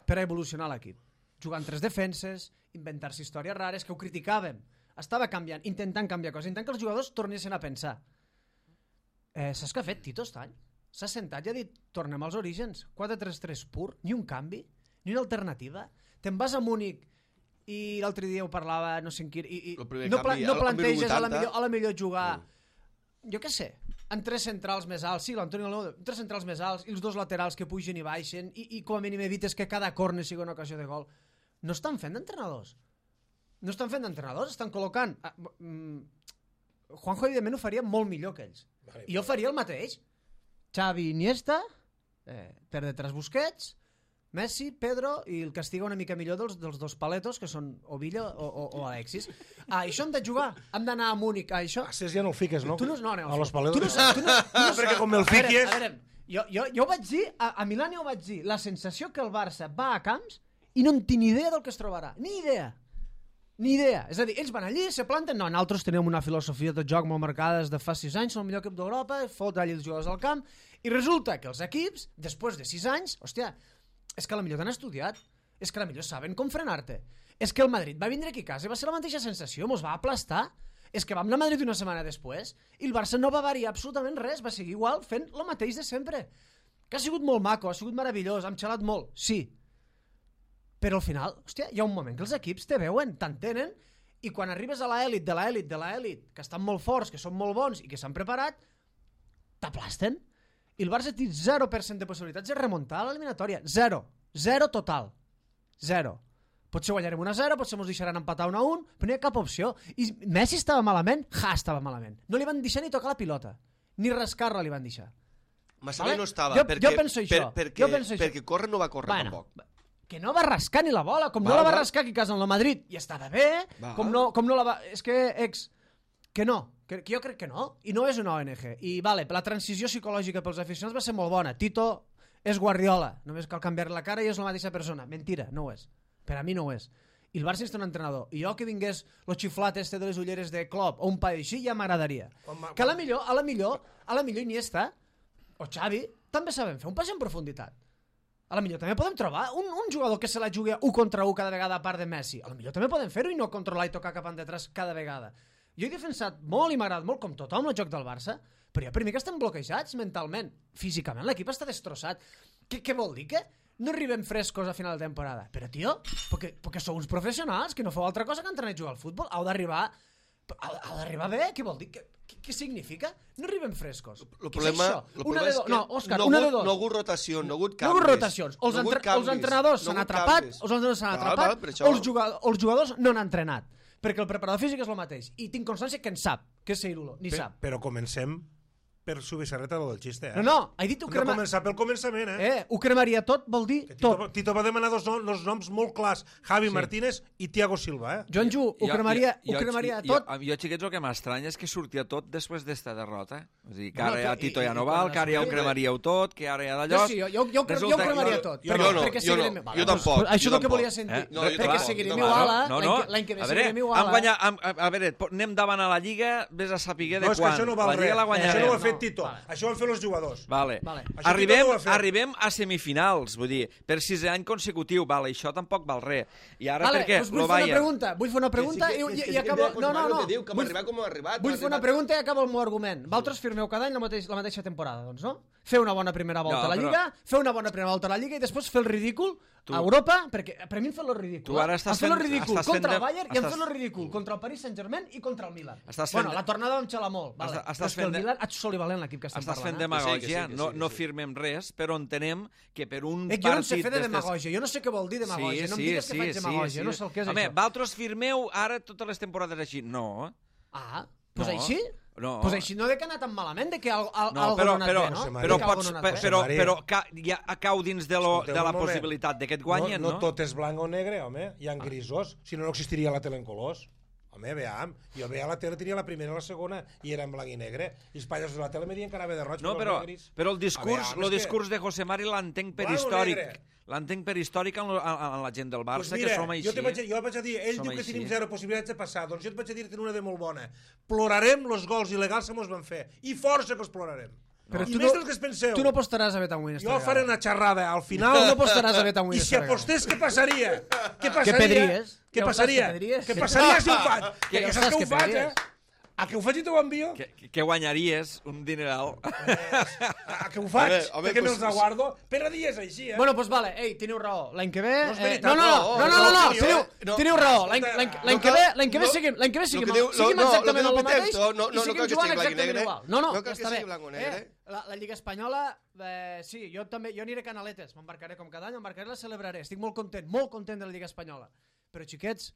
per a evolucionar l'equip. Jugant tres defenses, inventar-se històries rares, que ho criticàvem. Estava canviant, intentant canviar coses, intentant que els jugadors tornessin a pensar. Eh, saps què ha fet Tito aquest any? S'ha sentat i ha dit, tornem als orígens, quatre tres tres pur, ni un canvi, ni una alternativa. Te'n vas a Múnich i l'altre dia ho parlava, no sé en qui... I, i no, pla no planteges a la, millor, a la millor jugar, sí. Jo què sé, en tres centrals més alts, sí, l'Antoni Alonso, tres centrals més alts i els dos laterals que pugen i baixen i, i com a mínim evites que cada córner sigui una ocasió de gol. No estan fent d'entrenadors. No estan fent d'entrenadors, estan col·locant... Ah, mm, Juanjo, evidentment, ho faria molt millor que ells. Vale, I jo faria el mateix. Xavi, Iniesta, eh, per detrás Busquets, Messi, Pedro i el que estiga una mica millor dels, dels dos paletos que són o Villa o, o, o Alexis. Ah, això hem de jugar, hem d'anar a Múnich, ah, això... A Cés ja no el fiques, no? Tu no, no, no, a los paletos. Tu no, tu no, tu no, perquè com el fiques... A veure, a veure, jo, jo, jo ho vaig dir, a, a Milán ja ho vaig dir, la sensació que el Barça va a camps i no en tinc ni idea del que es trobarà, ni idea. Ni idea. És a dir, ells van allí, se planten... No, nosaltres tenim una filosofia de joc molt marcada des de fa sis anys, som el millor equip d'Europa, fot allà els jugadors al camp, i resulta que els equips, després de sis anys, hòstia, és que a la millor t'han estudiat, és que a la millor saben com frenar-te, és que el Madrid va vindre aquí a casa i va ser la mateixa sensació, mos va aplastar, és que vam anar a Madrid una setmana després, i el Barça no va variar absolutament res, va seguir igual fent el mateix de sempre, que ha sigut molt maco, ha sigut meravellós, hem xalat molt, sí, però al final, hòstia, hi ha un moment que els equips te veuen, t'entenen, i quan arribes a l'elit de l'elit de l'elit, que estan molt forts, que són molt bons i que s'han preparat, t'aplasten. I el Barça té zero per cent de possibilitats de remuntar l'eliminatòria. Zero. Zero total. Zero. Potser guanyarem un a zero, potser ens deixaran empatar un a un, però no hi ha cap opció. I Messi estava malament, Ja estava malament. No li van deixar ni tocar la pilota, ni rascar-la li van deixar. Massaler Vale? no estava, Jo- perquè, jo penso això. per, perquè, Jo penso això. perquè córrer no va córrer Bueno, tampoc. que no va rascar ni la bola, com Val, no la va val. rascar aquí a casa en el Madrid i estava bé, Val. com no, com no la va... És que, ex, que no, que, que jo crec que no, i no és una O N G. I vale, la transició psicològica pels aficionats va ser molt bona. Tito és Guardiola, només cal canviar la cara i és la mateixa persona. Mentira, no ho és. Per a mi no ho és. I el Barça necessita un entrenador. I jo que vingués lo xiflat este de les ulleres de Klopp o un paio així ja m'agradaria. Que a la millor, a la millor, a la millor Iniesta o Xavi també saben fer un pas en profunditat. A la millor també podem trobar un, un jugador que se la jugui un contra un cada vegada a part de Messi. A la millor també podem fer-ho i no controlar i tocar cap endetrás cada vegada. Jo he defensat molt i m'ha agradat molt, com tothom, el joc del Barça, però jo per mi que estem bloquejats mentalment. Físicament l'equip està destrossat. Què, què vol dir? Que no arribem frescos a final de temporada? Però, tio, perquè, perquè sou uns professionals que no feu altra cosa que entrenar i jugar al futbol. Heu d'arribar... Heu d'arribar bé? Què vol dir? Què, què, què significa? No arribem frescos. El Què problema, és això? el Una problema de és do... que No, Òscar, no, una ha de hagut, dos. no ha hagut rotació, no ha hagut No canvis. hi ha hagut rotacions. Els, no ha hagut entre... els canvis, entrenadors no s'han ha hagut atrapat, canvis. els entrenadors s'han Val, atrapat, val, per això- els, jugadors, els jugadors no han entrenat. Perquè el preparador físic és el mateix. I tinc constància que en sap, que és Seirulo, ni Pe- sap. Però comencem per subissarreta del xiste, eh? No, no, he dit ho Hem de crema... començar pel començament, eh? Eh, ho cremaria tot, vol dir Que Tito, tot. Tito va demanar dos, nom, dos noms molt clars, Javi Sí. Martínez i Thiago Silva, eh? Joan Ju, ho cremaria, ho cremaria jo, tot. Jo, jo, xiquets, el que m'estranya és que sortia tot després d'esta derrota. És a dir, que No, ara que- ja Tito i- ja i no quan val, la que ara ja ho sortida- cremaríeu tot, que ara ja Jo d'allò... sí, jo, jo, jo, jo, jo ho Resulta- cremaria jo- tot. jo perquè, no, perquè jo seguirem... no, Vale, jo doncs, tampoc, Això és jo el que volia tampoc. sentir. Eh? No, jo perquè tampoc, seguirem no, igual, no, no, l'any que, l'any que ve a veure, seguirem igual. han guanyat, han, a, a veure, po- anem davant a la Lliga, vés a saber de No, és que quan. això no val la Lliga res. la Això guanyarem. no ho ha fet No, Tito. vale. Això ho han fet els jugadors. Vale. Vale. Això Arribem, Tito no ho ha fet. arribem a semifinals, vull dir, per sisè any consecutiu, vale, això tampoc val res. I ara Vale, perquè doncs vull lo fer una Bayern... pregunta, vull fer una pregunta i, i, i acabo... No, no, no. Diu, que hem Vull, arribat com hem arribat. vull hem fer una arribat- pregunta i acabo el meu argument. Vosaltres firmeu cada any la mateixa, la mateixa temporada, doncs, no? Fer una bona primera volta No, a la però- Lliga, fer una bona primera volta a la Lliga i després fer el ridícul Tu- a Europa, perquè per mi em fa el ridícul. Tu ara eh? estàs em fa el fent- ridícul estàs fent contra de- el Bayern i em estàs- fa el ridícul contra el Paris Saint-Germain i contra el Milan. Estàs Bueno, fent- la tornada vam xalar molt, vale. Estàs- estàs però és que fent el de- Milan ha solivalent l'equip que estem Estàs fent parlant. eh? demagògia, Que sí, que sí, que no, sí, no que sí. firmem res, però entenem que per un Eh, jo no en sé partit... fer de d'estes- demagògia, jo no sé què vol dir demagògia, no em digues que faig demagògia, no sé el que és Home, això. vosaltres firmeu ara totes les temporades així. No, Ah, doncs No. així? no. Pues així no de que ha anat tan malament, de que al, al, No, algo però, no ha anat però, bé, no? José De María. però, que algo pots, no ha anat pe- bé. però, María. però ca, ja cau dins de, lo, Escolteu de la un moment. possibilitat de que et guanyen, no? No, no tot és blanc o negre, home. Hi ha grisos. Si no, no existiria la tele en colors. Home, veam. Jo veia la tele, tenia la primera i la segona, i era en blanc i negre. I els països de la tele me diuen que anava de roig, No, però però, els negres- però el discurs, A veure, el és que- discurs de José Mari l'entenc per Blanc o històric. negre? L'entenc per històric en, lo- en, en la gent del Barça, Pues que mira, som així. jo, te vaig, jo vaig a dir, ell Som diu que així. tenim zero possibilitats de passar, doncs jo et vaig a dir que tenim una de molt bona. Plorarem els gols il·legals que mos van fer, i força que els plorarem. Però I tu més no- dels que es penseu. Tu no apostaràs a Betanwin esta Jo vegada. faré una xerrada al final. Tu no apostaràs a Betanwin I si esta vegada. apostés, què passaria? Què passaria? pedries? Què Ja ho saps passaria? que pedries? Què passaria si ho faig? Que Que ja ho saps saps que que ho faig, eh? pedries. A que ho faig i t'ho envio? Que, que guanyaries un dineral. A que ho faig? Home, home, Perquè pues- me'ls aguardo per a dies així, eh? Bueno, doncs vale, ei, teniu raó. L'any que ve... No és eh, veritat, no, no, no, no, no, no, no, no, no, teniu, no. teniu raó. L'any Escolta, l'any- no l'any que cal- ve, l'any que ve no- seguim, l'any que ve seguim, lo que diu- seguim no, no, exactament lo que el diu mateix Peter, no, no, i no seguim cal que jugant sigui blanc i exactament negre. igual. No, no, No cal ja que està sigui bé. blanc o negre. Eh, la, la Lliga Espanyola, eh, sí, jo també, jo aniré a Canaletes, m'embarcaré com cada any, m'embarcaré i la celebraré. Estic molt content, molt content de la Lliga Espanyola. Però, xiquets,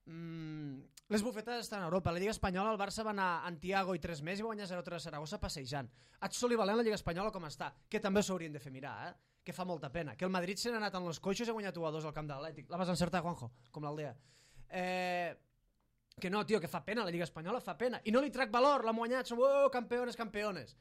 mm, les bufetades estan a Europa. La Lliga Espanyola, el Barça va anar a Antiago i tres més i va guanyar zero tres a Saragossa passejant. Haig solivalent la Lliga Espanyola com està, que també s'haurien de fer mirar, eh? Que fa molta pena. Que el Madrid se n'ha anat en els coixos i ha guanyat u a dos al camp de l'Atlètic. La vas encertar, Juanjo, com l'Aldea. Eh, que no, tio, que fa pena, la Lliga Espanyola fa pena. I no li trac valor, l'ha guanyat, som oh, campeones, campeones.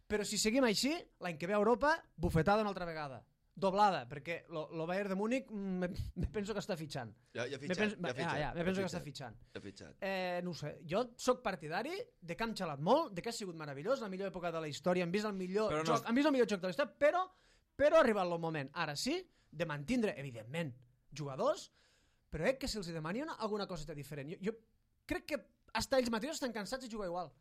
Però si seguim així, l'any que ve a Europa, bufetada una altra vegada. Doblada, perquè el Bayern de Múnich me, me penso que està fitxant. Ja, ja ha Me fitxat, penso, ja ha ja, fitxat. ja, me penso que està fitxant. Ja ha fitxat. Eh, no ho sé, jo sóc partidari de que hem xalat molt, de que ha sigut meravellós, la millor època de la història, hem vist el millor, Però no- joc, hem vist el millor joc de la història, però, però ha arribat el moment, ara sí, de mantindre, evidentment, jugadors, però crec que si els demani una, alguna coseta diferent. Jo, jo crec que hasta ells mateixos estan cansats de jugar igual.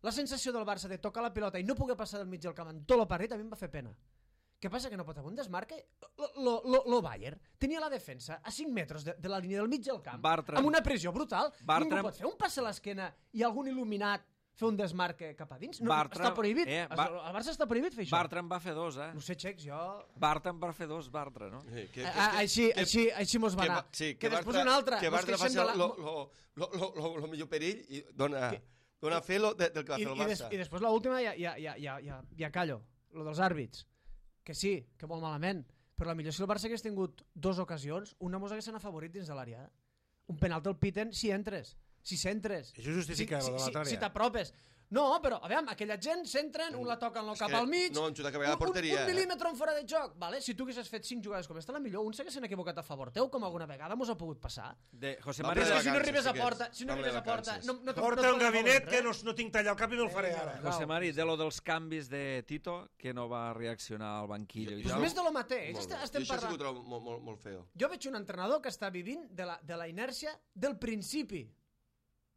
La sensació del Barça de tocar la pilota i no poder passar del mig del camp en tot el partit a mi em va fer pena. Què passa? Que no pot haver un desmarque? Lo, lo, lo Bayern tenia la defensa a cinc metres de, de la línia del mig del camp, Bartra. amb una pressió brutal. Bartra. Ningú pot fer un pas a l'esquena i algun il·luminat fer un desmarque cap a dins. No, Bartra, està prohibit. eh, El Bar- Barça està prohibit fer això. Bartra en va fer dos, eh? No sé, Xecs, jo... Bartra en va fer dos, Bartra, no? Sí, que, Ah, ah, així, així, així mos va que, anar. Ba- sí, que, que després Bartra, una altra. que mos Bartra queixem faci de la- lo, lo, lo, lo, lo, lo millor perill i dona, dona fe lo de, del que va I, fer el i, des, Barça. I després l'última ja, ja, ja, ja, ja, ja callo, lo dels àrbits. Que sí, que molt malament, però la millor si el Barça hagués tingut dues ocasions, una mos haguessin afavorit dins de l'àrea. Un penalti el piten si entres, si centres. Això justifica si, lo de si, l'altra si, si àrea. t'apropes. No, però, a veure, aquella gent s'entren, un la toquen És cap que al mig, no han xutat cap a la un, porteria, un, un eh? mil·límetre en fora de joc. Vale? Si tu haguessis fet cinc jugades com esta, la millor, un s'haguessin equivocat a favor teu, com alguna vegada mos ha pogut passar. De José Va, María... Però de és que si no vacances, arribes a sí que porta, és. si no Va, de arribes a porta, vacances. no, no, te- Porta no un et gabinet poden que no, no tinc tallar el cap i me'l faré ara. José Mari, de lo dels canvis de Tito, que no va reaccionar al banquillo i Pues tal. més de lo mateix. Molt Estem, bé. estem Jo això sí que ho parlant... trobo molt, molt, molt feo. Jo veig un entrenador que està vivint de la, de la inèrcia del principi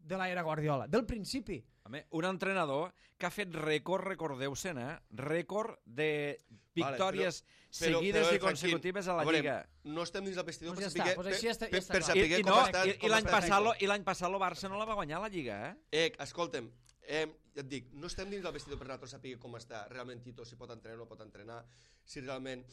de l'era Guardiola, del principi. Home, un entrenador que ha fet rècord, recordeu-se'n, eh? Rècord de victòries Vale, però- seguides però, però, i consecutives a la veure, Lliga. No estem dins del vestidor Pues ja per saber, està, pues així ja està- ja per, està per clar. saber I, i, com no, ha estat... i, i com l'any ha estat passat, lo- Tito. i l'any passat el Barça no la va guanyar la Lliga, eh? Eh, escolta'm, eh, ja et dic, no estem dins del vestidor per nosaltres saber com està realment Tito, si pot entrenar o no pot entrenar, si realment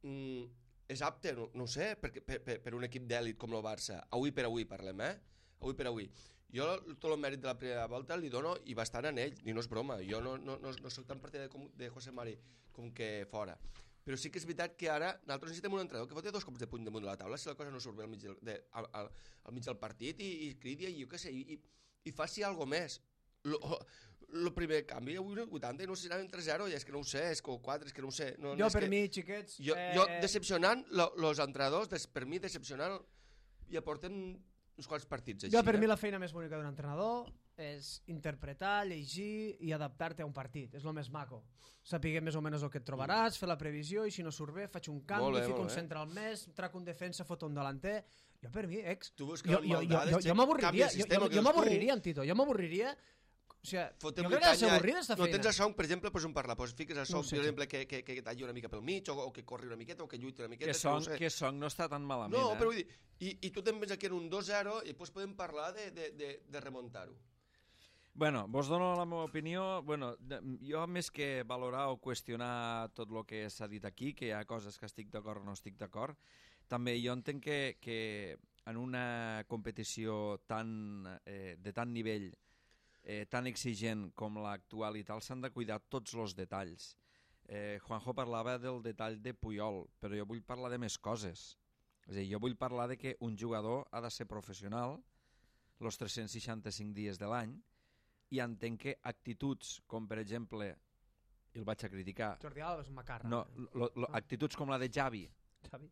mm, és apte, no, no ho sé, per, per, per, per un equip d'èlit com el Barça. Avui per avui parlem, eh? Avui per avui. Jo tot el mèrit de la primera volta li dono i bastant en ell, i no és broma. Jo no, no, no, no soc tan partidari com, de José Mari com que fora. Però sí que és veritat que ara nosaltres necessitem un entrenador que foti dos cops de puny damunt de la taula si la cosa no surt bé al mig del, de, al, al, al mig del partit i, i cridi i jo què sé, i, i faci alguna més. El primer canvi avui no vuitanta i no sé si anaven tres zero, ja és que no ho sé, és que quatre, és que no ho sé. No, Jo, és per que... mi, xiquets... Jo, eh, jo decepcionant, els entrenadors, des, per mi decepcionant, i aporten uns quants partits així. Jo, per eh? mi, la feina més bonica d'un entrenador és interpretar, llegir i adaptar-te a un partit. És el més maco. Saber més o menys el que et trobaràs, fer la previsió, i si no surt bé, faig un canvi, Molt bé, fico molt un bé. central més, trac un defensa, foto un delanter... Jo, per mi, ex... Tu busques Jo, jo, jo, maldades, jo, jo canvia m'avorriria, el jo, sistema, jo, que jo dius tu. m'avorriria, en Tito, jo m'avorriria... O sigui, Fotem jo crec que ha de ser canya, avorrida, esta no feina. tens a Song, per exemple, pues un parlar, pues fiques a No ho Song, sé, per exemple, que, que, que talli una mica pel mig, o, o que corri una miqueta, o que lluiti una miqueta. Que és no ho Song, sé. que Song no està tan malament, No, eh? però vull dir, i, i tu te'n vens aquí en un dos zero i després podem parlar de, de, de, de remuntar-ho. Bueno, vos dono la meva opinió. Bueno, de- jo més que valorar o qüestionar tot el que s'ha dit aquí, que hi ha coses que estic d'acord o no estic d'acord, també jo entenc que, que en una competició tan, eh, de tant nivell, eh, tan exigent com l'actual i tal, s'han de cuidar tots els detalls. Eh, Juanjo parlava del detall de Puyol, però jo vull parlar de més coses. És a dir, jo vull parlar de que un jugador ha de ser professional els tres-cents seixanta-cinc dies de l'any, i entenc que actituds com, per exemple, i el vaig a criticar, Jordi Alba és un macarra. no, lo, lo, actituds com la de Xavi, Xavi.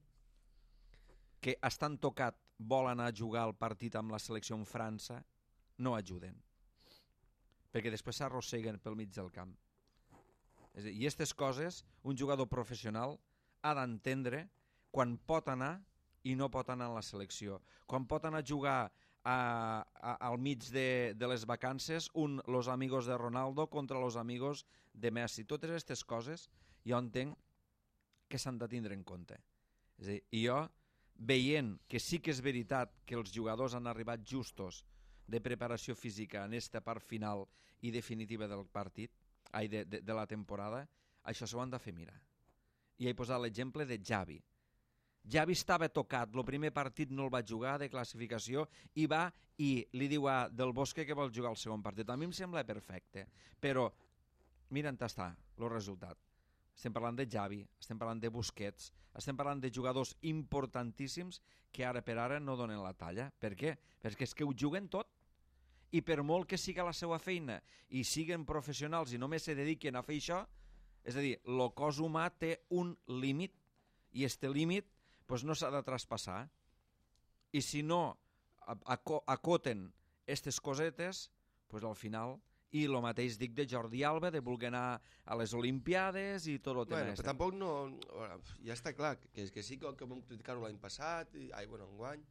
que estan tocat, vol anar a jugar al partit amb la selecció en França, no ajuden. Perquè després s'arrosseguen pel mig del camp. És a dir, i aquestes coses, un jugador professional ha d'entendre quan pot anar i no pot anar a la selecció. Quan pot anar a jugar a, a, al mig de, de les vacances un Los Amigos de Ronaldo contra Los Amigos de Messi. Totes aquestes coses jo entenc que s'han de tindre en compte. És a dir, i jo, veient que sí que és veritat que els jugadors han arribat justos de preparació física en esta part final i definitiva del partit, ai, de, de, de la temporada, això s'ho han de fer mirar. I he posat l'exemple de Xavi. Xavi estava tocat, el primer partit no el va jugar de classificació i va i li diu a Del Bosque que vol jugar el segon partit. A mi em sembla perfecte, però mira on està el resultat. Estem parlant de Xavi, estem parlant de Busquets, estem parlant de jugadors importantíssims que ara per ara no donen la talla. Per què? Perquè és que ho juguen tot. I per molt que siga la seva feina i siguen professionals i només se dediquen a fer això, és a dir, el cos humà té un límit i este límit pues, no s'ha de traspassar. I si no acoten aquestes cosetes, pues, al final... I el mateix dic de Jordi Alba, de voler anar a les Olimpiades i tot el tema. Bueno, però tampoc no... Ja està clar, que, que sí que, que vam criticar-ho l'any passat, i, ai, bueno, enguany,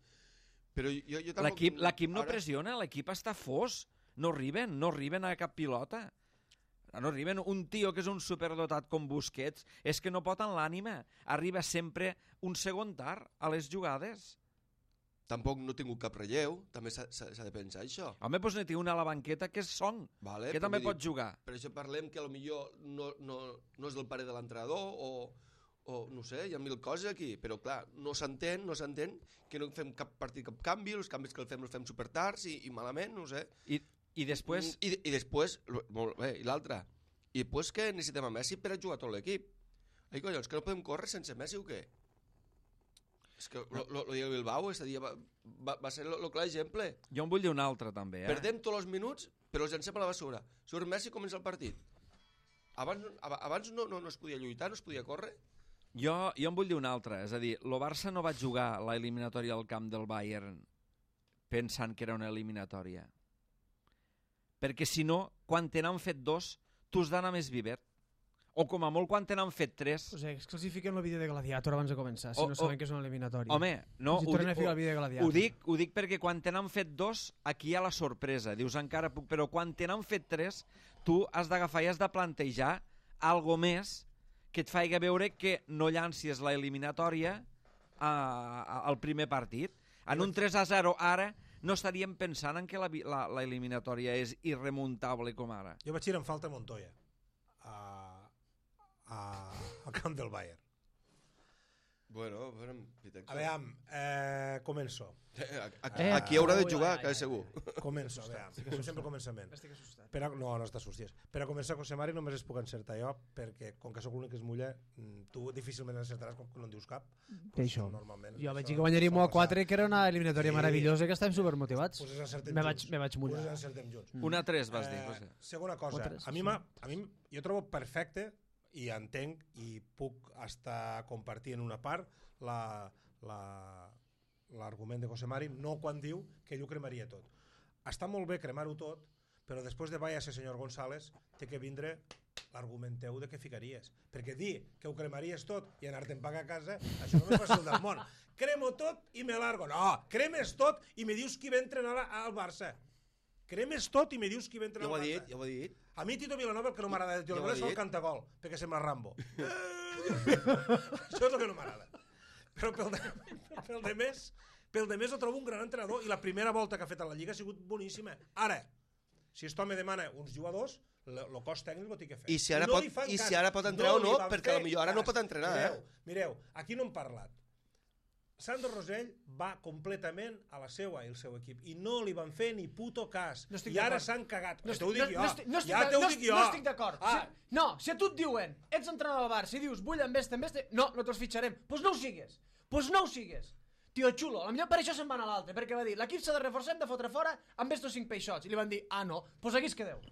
però jo, jo tampoc... L'equip l'equip no ara... pressiona, l'equip està fos. No arriben, no arriben a cap pilota. No arriben. Un tio que és un superdotat com Busquets és que no pot en l'ànima. Arriba sempre un segon tard a les jugades. tampoc no ha tingut cap relleu, també s'ha de pensar això. Home, doncs n'hi té una a la banqueta que és Song, vale, que també pot jugar. Per això parlem que potser no, no, no és del pare de l'entrenador o, o no sé, hi ha mil coses aquí, però clar, no s'entén, no s'entén que no fem cap partit, cap canvi, els canvis que el fem els fem supertards i, i malament, no sé. I, i després... I, i després, molt bé, i l'altra, i després que necessitem a Messi per a jugar tot l'equip. Ai, collons, que no podem córrer sense Messi o què? És que el dia del Bilbao aquest dia va, va, va ser el clar exemple. Jo en vull dir un altre, també. Eh? Perdem tots els minuts, però els llancem a la bessura. Surt Messi i comença el partit. Abans, abans no, no, no es podia lluitar, no es podia córrer. Jo, jo en vull dir un altre. És a dir, el Barça no va jugar l'eliminatòria al camp del Bayern pensant que era una eliminatòria. Perquè si no, quan te n'han fet dos, tu has d'anar més vivet. O com a molt quan te n'han fet tres... O sigui, es classifiquen el vídeo de Gladiator abans de començar, si o, no saben o, que és una eliminatòria. Home, no, si ho, dic, ho, ho, dic, ho dic perquè quan te n'han fet dos, aquí hi ha la sorpresa. Dius, encara puc... Però quan te n'han fet tres, tu has d'agafar i has de plantejar algo més que et faci veure que no llancis la eliminatòria a, a, al primer partit. En un tres a zero ara no estaríem pensant en que la, la, la eliminatòria és irremuntable com ara. Jo vaig ir en falta a Montoya. A... al camp del Bayern. Bueno, bueno, a veure, eh, començo. Aquí, aquí haurà de jugar, que és segur. Començo, a veure, com sempre començament. Estic assustat. Per a, no, no estàs susties. Per a començar, José Mari, només es puc encertar jo, perquè com que sóc l'únic que es mulla, tu difícilment encertaràs com que no en dius cap. Què això? Normalment. Jo vaig dir que guanyaríem u a quatre, que era una eliminatòria sí. meravellosa, que estàvem supermotivats. Pues encertem me vaig, me vaig mullar. Pues encertem junts. Mm. una a tres vas dir, José. Eh, segona cosa, a mi, a mi jo trobo perfecte i entenc i puc estar compartint una part la, la, l'argument de José Mari, no quan diu que ell ho cremaria tot. Està molt bé cremar-ho tot, però després de váyase senyor González té que vindre l'argument teu de què ficaries. Perquè dir que ho cremaries tot i anar-te'n pagar a casa, això no és fàcil del món. Cremo tot i me largo. No, cremes tot i me dius qui va entrenar al Barça. Cremes tot i me dius qui va entrenar al Barça. Ja ho he dit, A mi Tito Vilanova el que no m'agrada de Tito Vilanova és el cantagol, perquè sembla Rambo. Això és el que no m'agrada. Però pel de, pel de més, pel de més el trobo un gran entrenador i la primera volta que ha fet a la Lliga ha sigut boníssima. Ara, si aquest home demana uns jugadors, el cost tècnic ho té que fer. I si ara, no pot, i si ara pot entrenar no o no, perquè potser ara no pot entrenar. Mireu, eh? mireu, aquí no hem parlat. Sandro Rosell va completament a la seva i el seu equip i no li van fer ni puto cas no i ara s'han cagat no estic, no, no, estic, no, ja t'ho dic jo no estic d'acord ah. si, no, si a tu et diuen ets entrenador del Barça i dius vull amb este, amb este no, no te'ls fitxarem, doncs pues no ho sigues doncs pues no ho sigues tio xulo, potser per això se'n van a l'altre perquè va dir, l'equip s'ha de reforçar, hem de fotre fora amb estos cinc peixots i li van dir, ah no, doncs pues aquí es quedeu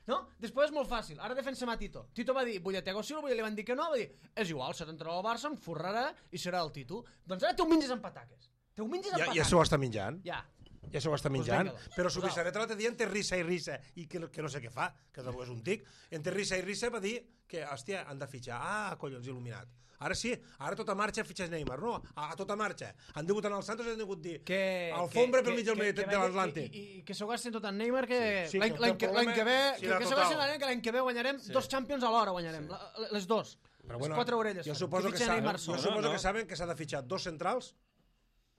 no? Després és molt fàcil, ara defensem a Tito Tito va dir, vull a Thiago Silva, li van dir que no va dir, és igual, serà entrenador del Barça, em forrarà i serà el Tito, doncs ara te ho menges amb pataques te ho menges amb ja, pataques ja s'ho està menjant ja ja s'ho està menjant, pues però Subissaret l'altre dia entre risa i risa i que, que no sé què fa, que tampoc és un tic entre risa i risa va dir que hòstia, han de fitxar, ah, collons, il·luminat ara sí, ara tota marxa fitxes Neymar no, a, a tota marxa, han degut anar als Santos i han degut dir, que, alfombra que, pel mig del que, de l'Atlàntic i, i que s'ho gasten tot en Neymar que sí, sí, l'any que, que ve sí, que, que s'ho gasten que l'any que ve guanyarem sí. dos Champions a l'hora guanyarem, sí. les dos però bueno, les quatre orelles jo suposo, que, que, saben, jo suposo no, no. que saben que s'ha de fitxar dos centrals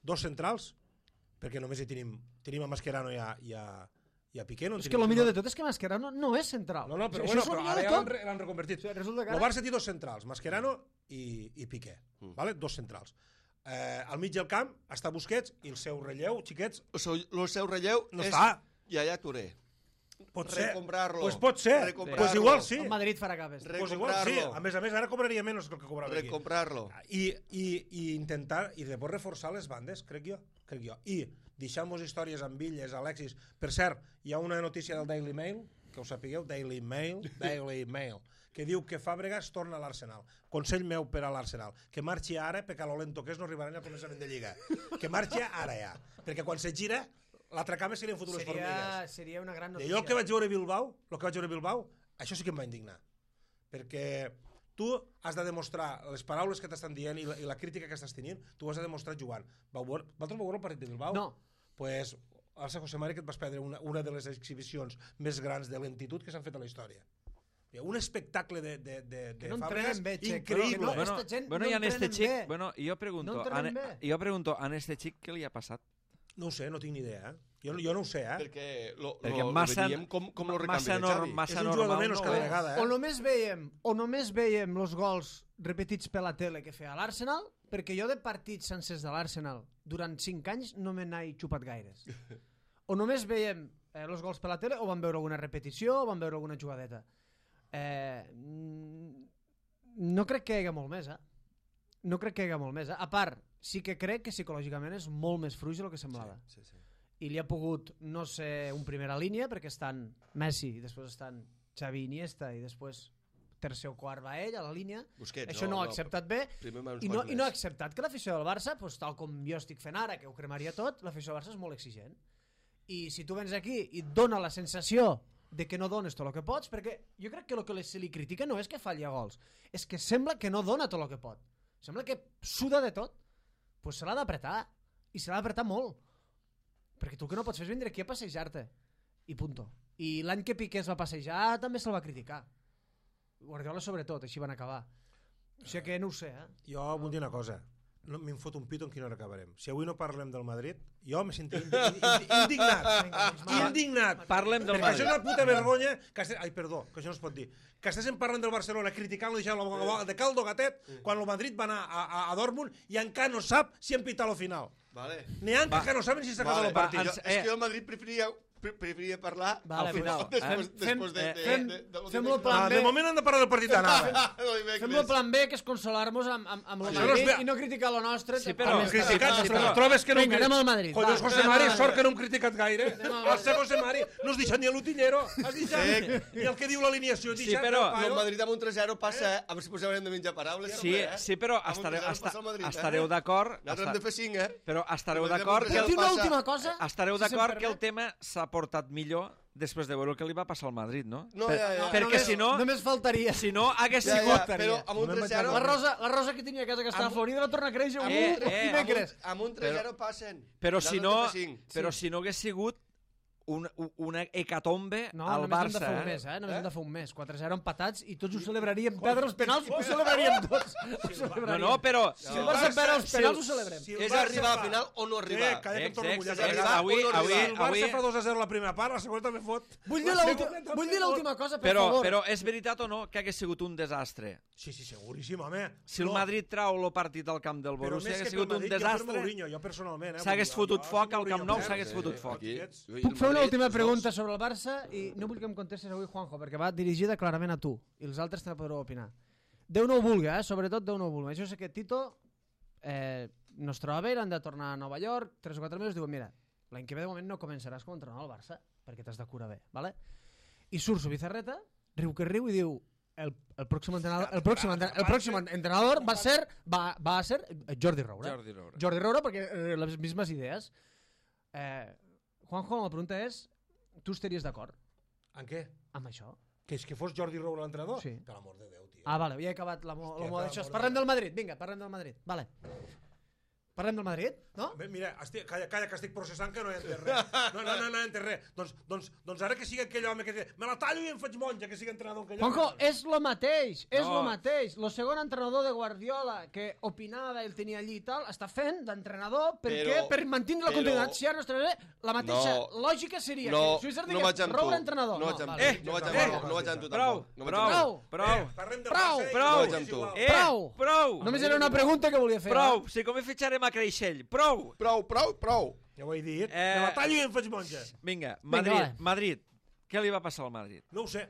dos centrals perquè només hi tenim, tenim a Mascherano i a, i a, i a Piqué. No és que el millor de tot és que Mascherano no és central. No, no, però, o bueno, però ara ja l'han reconvertit. O sigui, el Barça té dos centrals, Mascherano i, i Piqué. Mm. Vale? Dos centrals. Eh, al mig del camp està Busquets i el seu relleu, xiquets... El seu, el seu relleu no és està. Yaya Touré. Pot ser. Recomprar-lo. Pues pot ser. Pues igual sí. El Madrid farà capes. Pues igual sí. A més a més, ara cobraria menys que el que cobrava aquí. Recomprar-lo. I, i, I intentar, i després reforçar les bandes, crec jo. Crec jo. I deixar-nos històries amb Villes, Alexis. Per cert, hi ha una notícia del Daily Mail, que ho sapigueu, Daily Mail, Daily Mail, que diu que Fàbregas torna a l'Arsenal. Consell meu per a l'Arsenal. Que marxi ara, perquè a lo lento que és no arribaran al començament de Lliga. Que marxi ara ja. Perquè quan se gira... L'altra cama serien futures seria, formigues. Seria una gran notícia. I jo el que vaig veure a Bilbao, el que vaig veure a Bilbao, això sí que em va indignar. Perquè tu has de demostrar les paraules que t'estan dient i la, i la crítica que estàs tenint, tu has de demostrar jugant. Vosaltres vau veure el partit de Bilbao? No. Pues, Alça José Mari, que et vas perdre una, una de les exhibicions més grans de lentitud que s'han fet a la història. Un espectacle de, de, de, de no Fàbregas bé, increïble. No, bueno, gent bueno, no y a este chic, bé. bueno, yo pregunto, no a, yo pregunto, a este chic què li ha passat? No ho sé, no tinc ni idea. Eh? Jo, jo no ho sé, eh? Perquè lo, Perquè lo, massa- lo veiem com, com lo massa recanvi de nor- Xavi. massa És un normal, jugador menys no cada és. vegada, O eh? només veiem, o només veiem els gols repetits per la tele que feia l'Arsenal, perquè jo de partits sencers de l'Arsenal durant cinc anys no me n'he xupat gaires. O només veiem eh, els gols per la tele o van veure alguna repetició o van veure alguna jugadeta. Eh, no crec que hi hagi molt més, eh? No crec que hi hagi molt més, eh? A part, sí que crec que psicològicament és molt més fluix del que semblava. Sí, sí, sí. I li ha pogut no ser un primera línia perquè estan Messi i després estan Xavi i Iniesta i després tercer o quart va ell a la línia. Busquets, Això no, no ho ha no, acceptat bé primer va uns i no, quants i no ha més. acceptat que l'afició del Barça, doncs, tal com jo estic fent ara, que ho cremaria tot, l'afició del Barça és molt exigent. I si tu vens aquí i et dona la sensació de que no dones tot el que pots, perquè jo crec que el que se li critica no és que falli a gols, és que sembla que no dona tot el que pot. Sembla que suda de tot. Doncs pues se l'ha d'apretar. I se l'ha d'apretar molt. Perquè tu el que no pots fer és vindre aquí a passejar-te. I punto. I l'any que Piqué es va passejar també se'l va criticar. Guardiola sobretot, així van acabar. O sigui que no ho sé, eh? Jo vull dir una cosa. No, me'n fot un pito en quina hora acabarem. Si avui no parlem del Madrid, jo me sento indi indi indignat. Vinga, doncs va. Indignat. Parlem del Perquè això és Madrid. una puta vergonya que estem... Ai, perdó, que això no es pot dir. Que estiguem parlant del Barcelona, criticant-lo, deixant-lo de caldo gatet, quan el Madrid va anar a, a, a Dortmund i encara no sap si han pitat la final. Vale. N'hi ha que encara no saben si s'ha acabat Vale. el partit. Jo, ens- és eh. que jo al Madrid preferia, pre preferia parlar Vale, Al final, pues, després, eh? després de, Fem- de, fem- de, de, de, fem-lo de, plan Ah, B. de moment hem de parlar del partit d'anada. Fem el plan B, que és consolar-nos amb, amb, amb el Això no es Madrid ve- i no criticar lo nostre. Sí, però- També està Criticat, bé. sí, però però- trobes que no... Vinga, anem al Madrid, va. Collons, José Anem Mari, al sort Madrid. que no hem criticat gaire. Anem al El Madrid. ser José Mari no has deixat ni l'utillero, has deixat ni el que diu l'alineació. Sí, però- El Madrid amb un tres zero passa, a veure si posarem de menjar paraules. Sí, també, eh? sí, però Amb un estareu, tres zero esta, passa el Madrid, eh? estareu d'acord... Nosaltres hem de fer cinc, eh? Però estareu Podem d'acord fer que... I el- una passa- última cosa. Estareu si se'm d'acord que el permet. tema s'ha portat millor després de veure el que li va passar al Madrid, no? No, Per, ja, ja. perquè només, si no, Només faltaria. si no hagués Ja, sigut... ja, però amb un No me'n tres zero... La rosa, la rosa que tenia a casa que estava Amb- florida va tornar a créixer un Eh, eh, eh, dimecres. Amb un tres zero passen. Però si no, Nosaltres hem de fer cinc. però si no hagués sigut un, una hecatombe No, al només hem de Barça, fer un eh? mes, eh? Només Eh? hem de fer un mes. quatre zero empatats i tots ho celebraríem. Perdre els penals ho celebraríem tots. Ho No, celebraríem. no, però... Si el Barça perd els si el- penals ho celebrem. si el És Barça arribar fa- a final o no arribar. Eh, calla que em torno a mullar. Exacte, Si el avui- Barça- avui- si el Barça avui- fa dos a zero la primera part, la segona també fot. Vull dir La l'última segona vull dir també l'última cosa, per Però, favor. però és veritat o no que hagués sigut un desastre? Sí, sí, seguríssim, home. Si el No, Madrid trau el partit al camp del però Borussia més hagués que pel sigut un Madrid, jo per desastre, Mourinho, jo personalment, eh, s'hagués vull dir, fotut jo, foc si al Camp Mourinho Nou, perd, s'hagués eh, fotut foc. Aquí. I Puc el fer una Madrid, última els pregunta dos. sobre el Barça i no vull que em contestes avui, Juanjo, perquè va dirigida clarament a tu i els altres també podreu opinar. Déu no ho vulgui, eh? Sobretot Déu no ho vulgui. Jo sé que Tito eh, no es troba bé, han de tornar a Nova York, tres o quatre mesos, diuen, mira, l'any que ve de moment no començaràs com a entrenador al Barça perquè t'has de curar bé, ¿vale? I surt su Bizarreta, riu que riu i diu el, el pròxim entrenador, el pròxim, entre- el pròxim entrenador va ser va, va a ser Jordi Roura. Jordi Roura. Jordi Roura perquè eh, les mismes idees. Eh, Juanjo, la pregunta és, tu estaries d'acord En què? amb això? Que és que fos Jordi Roura l'entrenador? Sí. Per l'amor de Déu, tio. Ah, vale, ja he acabat la, mo Hòstia, la mo per d'això. amor de Parlem Déu. del Madrid, vinga, parlem del Madrid. Vale. Parlem del Madrid, no? Bé, mira, estic, calla, calla, que estic processant que no he entès res. No, no, no, no he entès res. Doncs, doncs, doncs ara que sigui aquell home que diu, me la tallo i em faig monja, que sigui entrenador aquell home. Juanjo, és lo mateix, és No. lo mateix. Lo segon entrenador de Guardiola que opinava, el tenia allí i tal, està fent d'entrenador perquè Però- per mantenir la però- continuïtat. Si ara no estarà bé, la mateixa No. lògica seria No, que Suïssa no digués vaig amb tu. Roura entrenador. No vaig amb vale. tu. No vaig Eh, amb tu. No vaig amb tu Prou, tampoc. No vaig prou, amb tu. prou, Eh, parlem del Prou, Barça i- prou. i vaig amb tu. igual. Eh, Prou. prou, Només era una pregunta que volia fer. prou, va? si com fitxarem a Creixell, prou. Prou, prou, prou. Ja ho he dit. Eh, Me la tallo i em faig monja. Vinga, Vinga, Madrid, va. Madrid. Què li va passar al Madrid? No ho sé.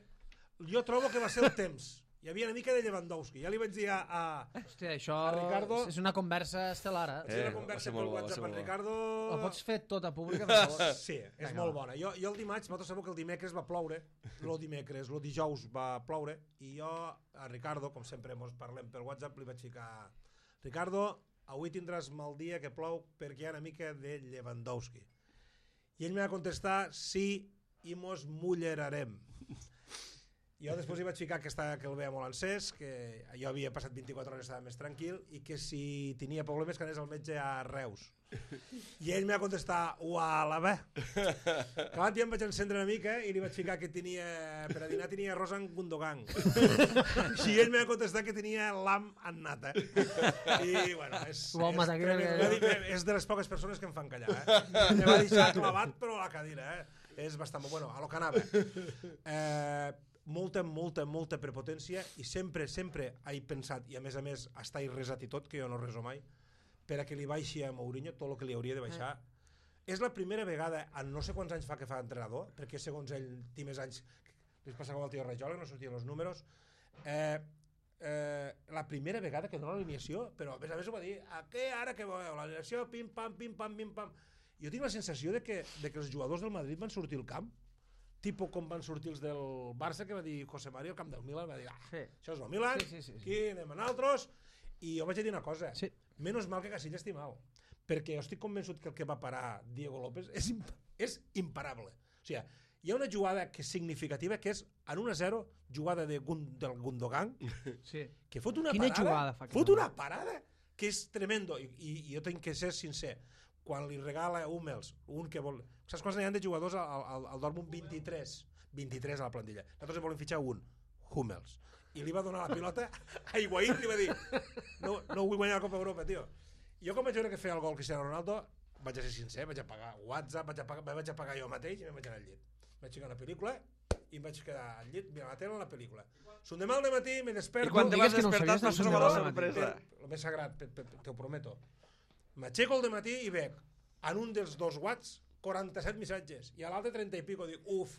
Jo trobo que va ser el temps. Hi havia una mica de Lewandowski. Ja li vaig dir a... a... Hòstia, això A Ricardo- és una conversa estel·lar. Eh, Eh? una va conversa ser per molt bo, va WhatsApp ser amb molt bo. Ricardo... La pots fer tota pública, per favor? Sí, és Vinga, molt va. bona. Jo, jo el dimarts, vosaltres sabeu que el dimecres va ploure, lo dimecres, lo dijous va ploure, i jo a Ricardo, com sempre mos parlem per WhatsApp, li vaig ficar Ricardo, avui tindràs mal dia que plou perquè hi ha una mica de Lewandowski. I ell me va contestar, sí, i mos mullerarem. Jo després hi vaig ficar que, estava, que el veia molt encès, que jo havia passat vint-i-quatre hores, estava més tranquil, i que si tenia problemes que anés al metge a Reus. I ell m'ha contestat, uala, bé. Clar, ja em vaig encendre una mica i li vaig ficar que tenia, per a dinar tenia arròs amb Gundogan. I ell m'ha contestat que tenia lam amb nata. I, bueno, és, Home, és, que... que... és de les poques persones que em fan callar, eh? Me va deixar clavat, però a la cadira, eh? És bastant... Bueno, a lo que anava. Eh... molta, molta, molta prepotència i sempre, sempre he pensat, i a més a més està irresat i tot, que jo no reso mai, per a que li baixi a Mourinho tot el que li hauria de baixar. Eh. És la primera vegada, en no sé quants anys fa que fa entrenador, perquè segons ell té més anys, li passa com al tio Rajola, no sortien els números, eh, eh, la primera vegada que dona l'alineació, però a més a més ho va dir, a què ara que veieu, l'alineació, pim, pam, pim, pam, pim, pam. Jo tinc la sensació de que, de que els jugadors del Madrid van sortir al camp, tipus com van sortir els del Barça, que va dir José María al camp del Milan, va dir, ah, sí. Això és el Milan, sí, sí, sí, sí. Aquí anem a nosaltres, i jo vaig dir una cosa, sí. Menos mal que Casillas estic mal, perquè jo estic convençut que el que va parar Diego López és, imp és imparable. O sigui, hi ha una jugada que és significativa, que és en un a zero, jugada de Gun del Gundogan, sí. Que fot una Quina parada, fa fot una parada que és tremendo, I, i, i jo tinc que ser sincer, quan li regala Hummels, un que vol... Saps quants n'hi ha de jugadors al, al, al Dortmund? vint-i-tres. vint-i-tres a la plantilla. Nosaltres en volem fitxar un, Hummels. I li va donar la pilota a Higuaín i li va dir no, no vull guanyar la Copa Europa, tio. I jo quan vaig veure que feia el gol Cristiano Ronaldo, vaig a ser sincer, vaig apagar WhatsApp, vaig apagar, vaig apagar jo mateix i em vaig anar al llit. Vaig ficar una pel·lícula i em vaig quedar al llit mirant la tele en la pel·lícula. Son demà al dematí, me desperto... I quan te vas despertar vas trobar la sorpresa. El més sagrat, te ho prometo. M'aixeco al dematí i veig en un dels dos watts quaranta-set missatges i a l'altre trenta i pico, dic, uf,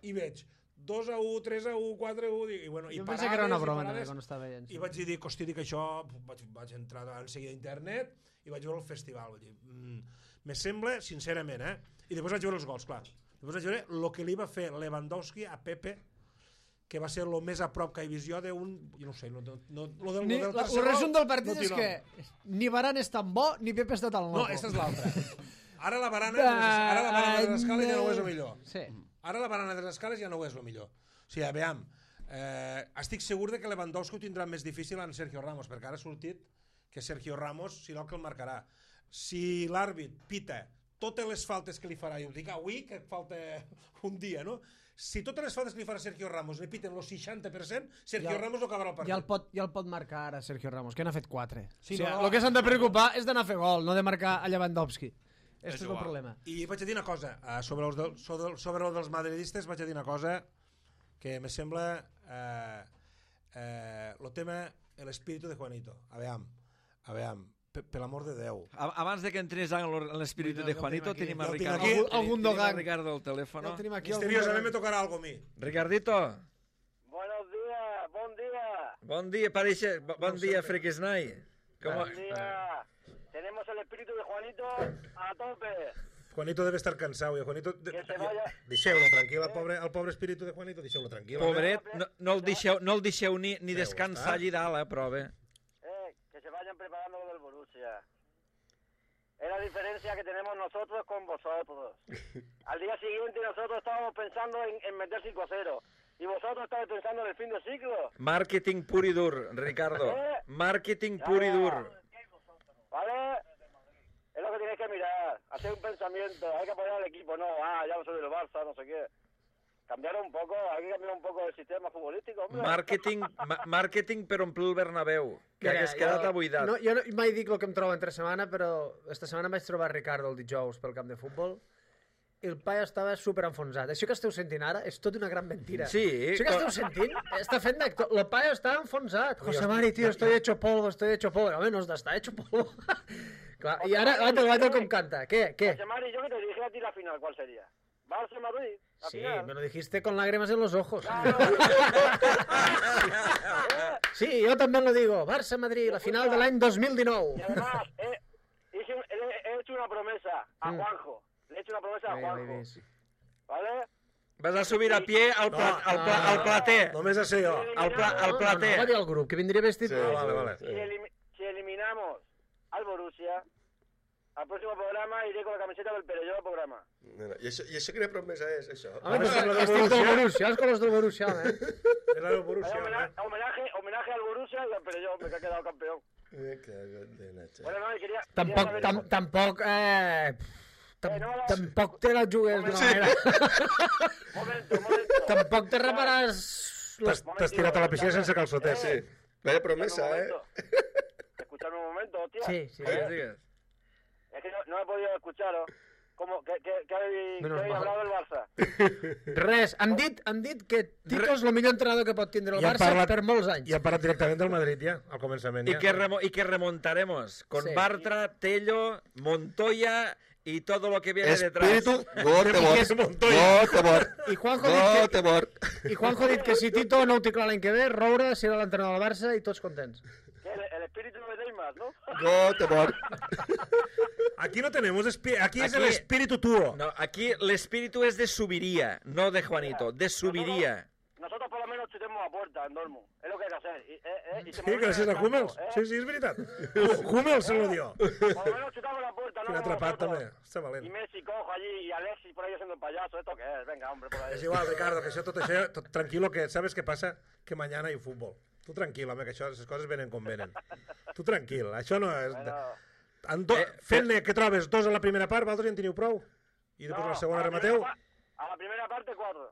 i veig dos a u, tres a u, quatre a u, dic, i bueno, i jo parades, pensé que era una broma parades, quan estava veient. I vaig dir, hosti, dic això, vaig, vaig entrar en seguida a internet i vaig veure el festival, vull dir, mm, me sembla, sincerament, eh? I després vaig veure els gols, clar. Després vaig veure el que li va fer Lewandowski a Pepe, que va ser el més a prop que he vist jo d'un... Jo no sé, no, no, no, lo del, ni, lo del la, el resum del partit no és que ni Varane és tan bo, ni Pepe està tan loco. No, aquesta és l'altra. Ara la barana, ara la barana de les escales ja no ho és el millor. Sí. Ara la barana de les escales ja no ho és el millor. O sigui, veiem, eh, estic segur de que Lewandowski ho tindrà més difícil en Sergio Ramos, perquè ara ha sortit que Sergio Ramos serà el que el marcarà. Si l'àrbit pita totes les faltes que li farà, i ho dic avui, que falta un dia, no? Si totes les faltes que li farà Sergio Ramos li piten el seixanta per cent, Sergio ja, Ramos no acabarà el partit. Ja el, pot, ja el pot marcar ara Sergio Ramos, que n'ha fet quatre. Sí, o sigui, no, el que s'han de preocupar és d'anar a fer gol, no de marcar a Lewandowski. Aquest és el problema. I vaig a dir una cosa, sobre els, de, sobre, sobre els dels madridistes vaig a dir una cosa que me sembla eh, eh, el tema, l'espíritu de Juanito. A veure, a veure, per, per l'amor de Déu. Abans de que entrés en l'espíritu de Juanito, tenim a Ricardo. Aquí, el Gundogan. Ricardo al teléfono. Misteriosament me tocarà algo a mi. Ricardito. Buenos días, bon dia. Bon dia, parece, bon dia, Frequesnai. Bon dia. Tenemos el espíritu de Juanito a tope. Juanito debe estar cansado. Y Juanito, de, que se vaya... Deixeu-lo tranquil, el pobre, el pobre espíritu de Juanito, deixeu-lo tranquil. Pobret, no, no, el deixeu, no el deixeu ni, ni descansar allí dalt, eh, però bé. Eh, que se vayan preparando lo del Borussia. Es la diferencia que tenemos nosotros con vosotros. Al día siguiente nosotros estábamos pensando en, en meter cinco a cero. ¿Y vosotros estáis pensando en el fin de ciclo? Marketing pur y dur, Ricardo. ¿Eh? Marketing pur y dur. ¿Vale? Es lo que tienes que mirar, hacer un pensamiento, hay que apoyar al equipo, no, ah, ya no soy del Barça, no sé qué. Cambiar un poco, hay que cambiar un poco el sistema futbolístico, hombre. Marketing, ma marketing per omplir el Bernabéu, que Mira, hagués quedat abuidat. No, jo no, mai dic el que em trobo entre setmana, però esta setmana em vaig trobar Ricardo el dijous pel camp de futbol i el paio estava super enfonsat. Això que esteu sentint ara és tot una gran mentira. Sí. Això que esteu sentint està fent d'actor. El paio està enfonsat. José Mari, tío, estoy hecho polvo, estoy hecho polvo. Home, no està hecho polvo. Clar, i ara, l'altre, l'altre com canta. ¿Qué? ¿Qué? José Mari, yo que te dije a ti la final, ¿cuál sería? Barça-Madrid. Sí, final. Me lo dijiste con lágrimas en los ojos. Claro. Sí, yo también lo digo. Barça-Madrid, la final del año dos mil dinou. Y además, he, he, he hecho una promesa a Juanjo. Le he hecho una promesa a Juanjo. ¿Vale? Vas a subir a pie al, pla, no, al, pla, al plater. Només a ser jo. Al, pla, al plater. No, no, va dir al grup, que vindria vestit. Sí, vale, vale. Si, elim si eliminamos al Borussia, al próximo programa iré con la camiseta del Perelló al programa. Mira, I això, i això quina promesa és, això? Home, pues estic del Borussia, els colors del Borussia, eh? Era el Borussia, Homenaje, eh? homenaje, homenaje al Borussia y al Perelló, me que ha quedado campeón. Me cago en la leche. Bueno, no, y quería... Tampoc, quería tam, saber- tampoc, eh... Tam, Eh, no, no. tampoc te la jugues d'una Sí. manera. Momento, momento. Tampoc te reparàs... T'has t'has tirat a la piscina sense calçoters. Sí. Vaya promesa, Escuchadme un eh? momento. Escuchadme un momento, hostia. Sí, sí. Digues, digues. Es que no, no he podido escucharos. ¿Cómo? ¿Qué, qué, qué habéis, Menos qué habéis mal. hablado del Barça? Res, han dit, han dit que Tito és el millor entrenador que pot tindre el I han Barça parlat- per molts anys. I han parlat directament del Madrid, ja, al començament. Y Ja. que, remo y que remontaremos con Sí. Bartra, Tello, Montoya y todo lo que viene detrás. Espíritu, Göteborg. Montoya. Göteborg. I Juanjo, ha dit que, Göteborg. I Juanjo ha dit que si Tito no ho té clar l'any que ve, Roure serà l'entrenador del Barça i tots contents. ¿Qué, el, el espíritu de Neymar, ¿no? Göteborg. Aquí no tenemos... espi- Aquí es Aquí- el espíritu tuo. No, aquí el espíritu es de Subiría, no de Juanito, de Subiría. Nosotros por lo menos chutemos a puerta en Dortmund. Es lo que hay que hacer. Y, eh, eh, y se Sí, movilizan gràcies en a el campo, Hummels. ¿eh? Sí, sí, és veritat. Hummels se lo dio. Por lo menos chutamos la puerta, ¿no? Quin Como atrapat, vosotros. també. Està Y valent. Messi cojo allí y Alexis por ahí haciendo el payaso. ¿Esto qué es? Venga, hombre, por ahí. És igual, Ricardo, que això, tot això, tot, tranquilo, que sabes què passa? Que mañana hay fútbol. Tu tranquil, home, que això, les coses venen com venen. Tu tranquil, això no és... Bueno, En do... Eh, Fent-ne, que trobes dos a la primera part, vosaltres ja en teniu prou? I després no, la segona a la remateu? primera pa- A la primera parte, cuatro.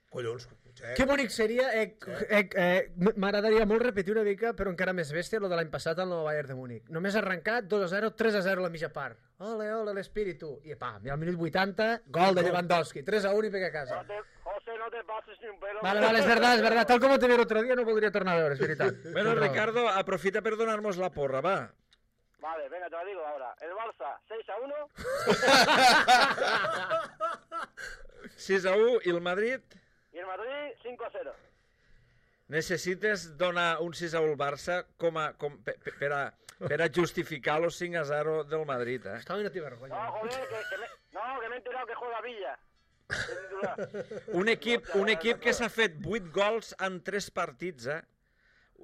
Collons, eh? Que bonic seria, eh, eh, eh, m'agradaria molt repetir una mica, però encara més bèstia, lo de l'any passat al nou Bayern de Múnich. Només arrencat, dos a zero, tres a zero a la mitja part. Ole, ole, l'espíritu. I pam, i al minut vuitanta, gol de Lewandowski. tres a uno i pega a casa. No te, José, no te pases ni un pelo. Vale, vale, és verdad, és verdad. Tal com te vi l'altre dia, no voldria tornar a veure, és veritat. Bueno, Tens raó. Ricardo, aprofita per donar-nos la porra, va. Vale, venga, te lo digo ahora. El Barça, seis a uno. sis a u i el Madrid Y el Madrid, cinco a cero. necessites donar un sis a u al Barça com a, com, per, per, a, per a justificar los cinc a zero del Madrid, eh? Estava no té vergonya. No, joder, que, que me, no, que me he enterado que juega Villa. de titular. Un equip, un equip que s'ha fet vuit gols en tres partits, eh?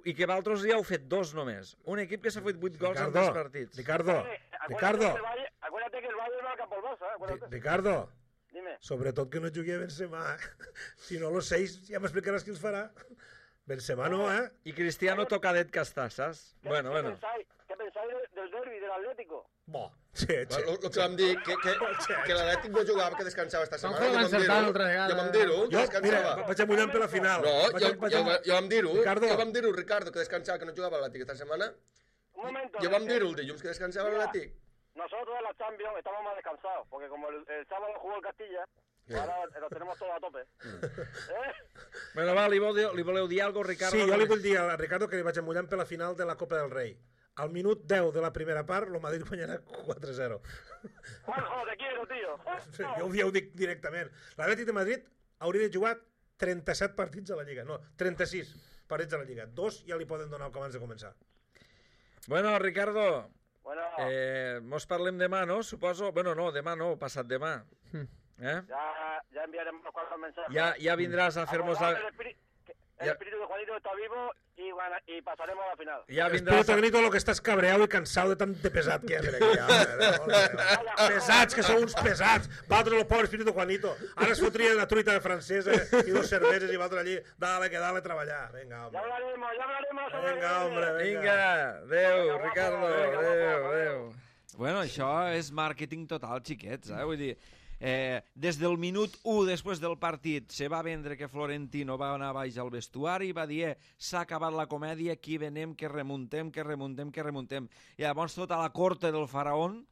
I que l'altre dia heu fet dos només. Un equip que s'ha fet vuit gols en tres Ricardo, partits. Ricardo, Eh, acuérdate Ricardo, que el Valle- Acuérdate que el Valle va al campo del Barça, ¿eh? Ri- Acuérdate. Ricardo, Dime. sobretot que no jugui a Benzema, eh? Si no, los seis ja m'explicaràs qui els farà. Benzema no, eh? I Cristiano tocadet que està, saps? ¿Qué, Bueno, ¿qué bueno. pensáis, ¿Qué pensáis del, del derbi del Atlético? Bo, sí, sí. El que vam dir, que, que, que l'Atlètic no jugava, que descansava esta setmana. Juanjo Ja va vam dir-ho. encertar l'altra vegada. Ja vam dir-ho, que Jo, mira, descansava. vaig amullant per la final. No, Vaig- jo, vaig jo, am- jo vam dir-ho. Ricardo. Jo vam dir-ho, Ricardo, que descansava, que no jugava l'Atlètic esta setmana. Un momento. Jo vam eh, dir-ho el dilluns, que descansava Mira. l'Atlètic. Nosotros en la Champions estamos más descansados, porque como el, el sábado jugó el Castilla, Sí. ahora lo tenemos todo a tope. ¿Eh? Bueno, va, li, voleu, li voleu dir alguna cosa, Ricardo? Sí, jo li vull dir a Ricardo que li vaig amullant per la final de la Copa del Rei. Al minut deu de la primera part, el Madrid guanyarà quatre a zero. Juanjo, te quiero, tío. Sí, jo, ho- ja ho dic directament. L'Atlètic de Madrid hauria de jugar trenta-set partits a la Lliga. No, trenta-sis partits a la Lliga. Dos ja li poden donar abans de començar. Bueno, Ricardo, Bueno, eh, mos parlem demà, no? Suposo... Bueno, no, demà no, passat demà. Eh? ya, ya enviaremos unos cuantos mensajes. Ja, ja vindràs a fer-nos la... Acordad, El, espíritu, el Ya. espíritu de Juanito está vivo y, gana- y pasaremos a la final. Ja Espero, vindràs... A... Tagnito, lo que estàs cabreau i cansau de tant de pesat que hi ha per aquí. Ja, hombre, pesats, que sou uns pesats. Vosaltres, el pobre espíritu Juanito. Ara es fotria una truita francesa i dos cerveses i vosaltres allí, dale, que dale a treballar. Vinga, Ya home. hablaremos, ya hablaremos. sobre Vinga, el- hombre, vinga. Vinga, adéu, Ricardo, Vinga, adéu, guapo, adéu. Bueno, això és màrqueting total, xiquets, eh? Vull dir, eh, des del minut u després del partit se va vendre que Florentino va anar baix al vestuari i va dir, eh, s'ha acabat la comèdia, aquí venem, que remuntem, que remuntem, que remuntem. I llavors tota la corte del faraón,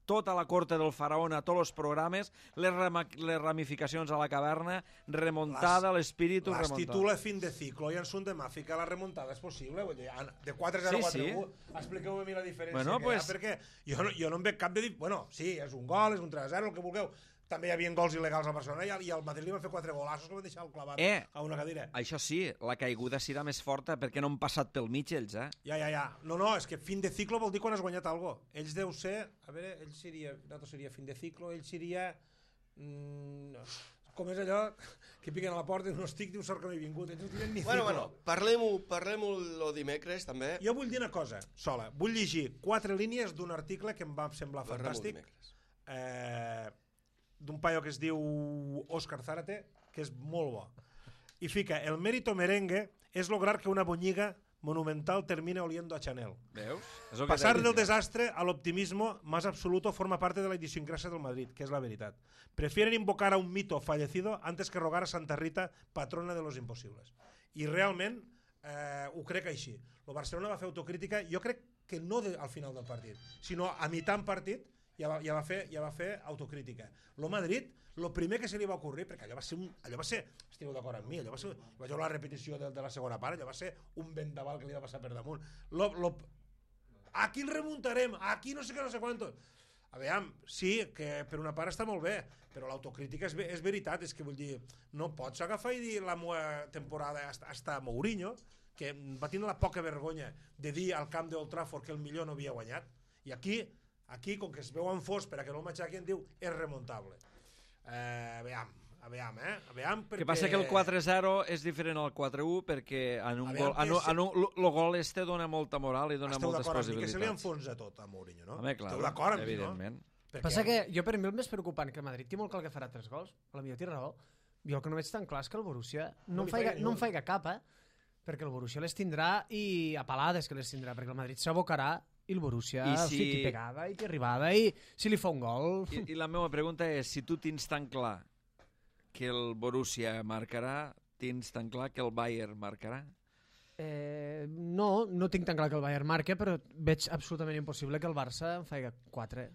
tota la corte del faraón a tots els programes, les, rama, les ramificacions a la caverna, remuntada, l'espíritu Las remuntat. titula fin de ciclo i en son demà fica la remuntada és possible. Vull dir, de quatre a zero a Sí, quatre sí. a u, expliqueu-me a mi la diferència Bueno, que pues- hi ha, perquè jo no, jo no en veig cap de... Di... Bueno, sí, és un gol, és un tres a zero, el que vulgueu. També hi havia gols il·legals al Barcelona i al, i al Madrid li van fer quatre golassos que van deixar el clavat Eh. a una cadira. Això sí, la caiguda serà més forta perquè no han passat pel mig ells, eh? Ja, ja, ja. No, no, és que fin de ciclo vol dir quan has guanyat algo. Ells deu ser... A veure, ell seria... Nosaltres seria fin de ciclo, ell seria... Mm, no. com és allò que piquen a la porta i no estic, diu, sort que no he vingut. Ells no tenen ni Bueno, fico. bueno, parlem-ho parlem-ho lo dimecres, també. Jo vull dir una cosa, sola. Vull llegir quatre línies d'un article que em va semblar Parlem-ho fantàstic, dimecres. eh, d'un paio que es diu Òscar Zárate, que és molt bo. I fica, el mérito merengue es lograr que una boñiga monumental termine oliendo a Chanel. Veus? És el que Pasar deia. del desastre al optimismo más absoluto forma parte de la idiosincrasia del Madrid, que es la veritat. Prefieren invocar a un mito fallecido antes que rogar a Santa Rita, patrona de los imposibles. I realment eh, ho crec així. El Barcelona va fer autocrítica, jo crec que no de, al final del partit, sinó a mitjà en partit ja va, ja va, fer, ja va fer autocrítica. El Madrid, el primer que se li va ocorrir, perquè allò va ser, un, allò va ser estigueu d'acord amb mi, allò va ser, vaig veure la repetició de, de la segona part, allò va ser un vendaval que li va passar per damunt. Lo, lo, aquí el remuntarem, aquí no sé què, no sé quantos. A veure, sí, que per una part està molt bé, però l'autocrítica és, és veritat, és que vull dir, no pots agafar i dir la meva temporada hasta, hasta Mourinho, que va tindre la poca vergonya de dir al camp d'Old Trafford que el millor no havia guanyat, i aquí, aquí com que es veuen fos per a que no el matxaquen, diu, és remontable. Eh, a veure, a veure, eh? A veure, perquè... Que passa que el quatre zero és diferent al quatre u perquè en un Aviam, gol, en un, en un, el gol este dona molta moral i dona Esteu moltes d'acord amb mi que se li possibilitats. enfonsa tot a Mourinho, no? Home, clar, Esteu d'acord amb mi, no? evidentment. Perquè... Passa que jo per mi el més preocupant que el Madrid té molt clar que farà tres gols, a la millor té raó. Jo el que no veig tan clar és que el Borussia No no, no, li em, faiga, faiga ni no un. em faiga cap, eh? Perquè el Borussia les tindrà i a palades que les tindrà, perquè el Madrid s'abocarà i el Borussia I I si- si... té pegada i té arribada i si li fa un gol... I, I la meva pregunta és, si tu tens tan clar que el Borussia marcarà, tens tan clar que el Bayern marcarà? Eh, no, no tinc tan clar que el Bayern marca, però veig absolutament impossible que el Barça en faci quatre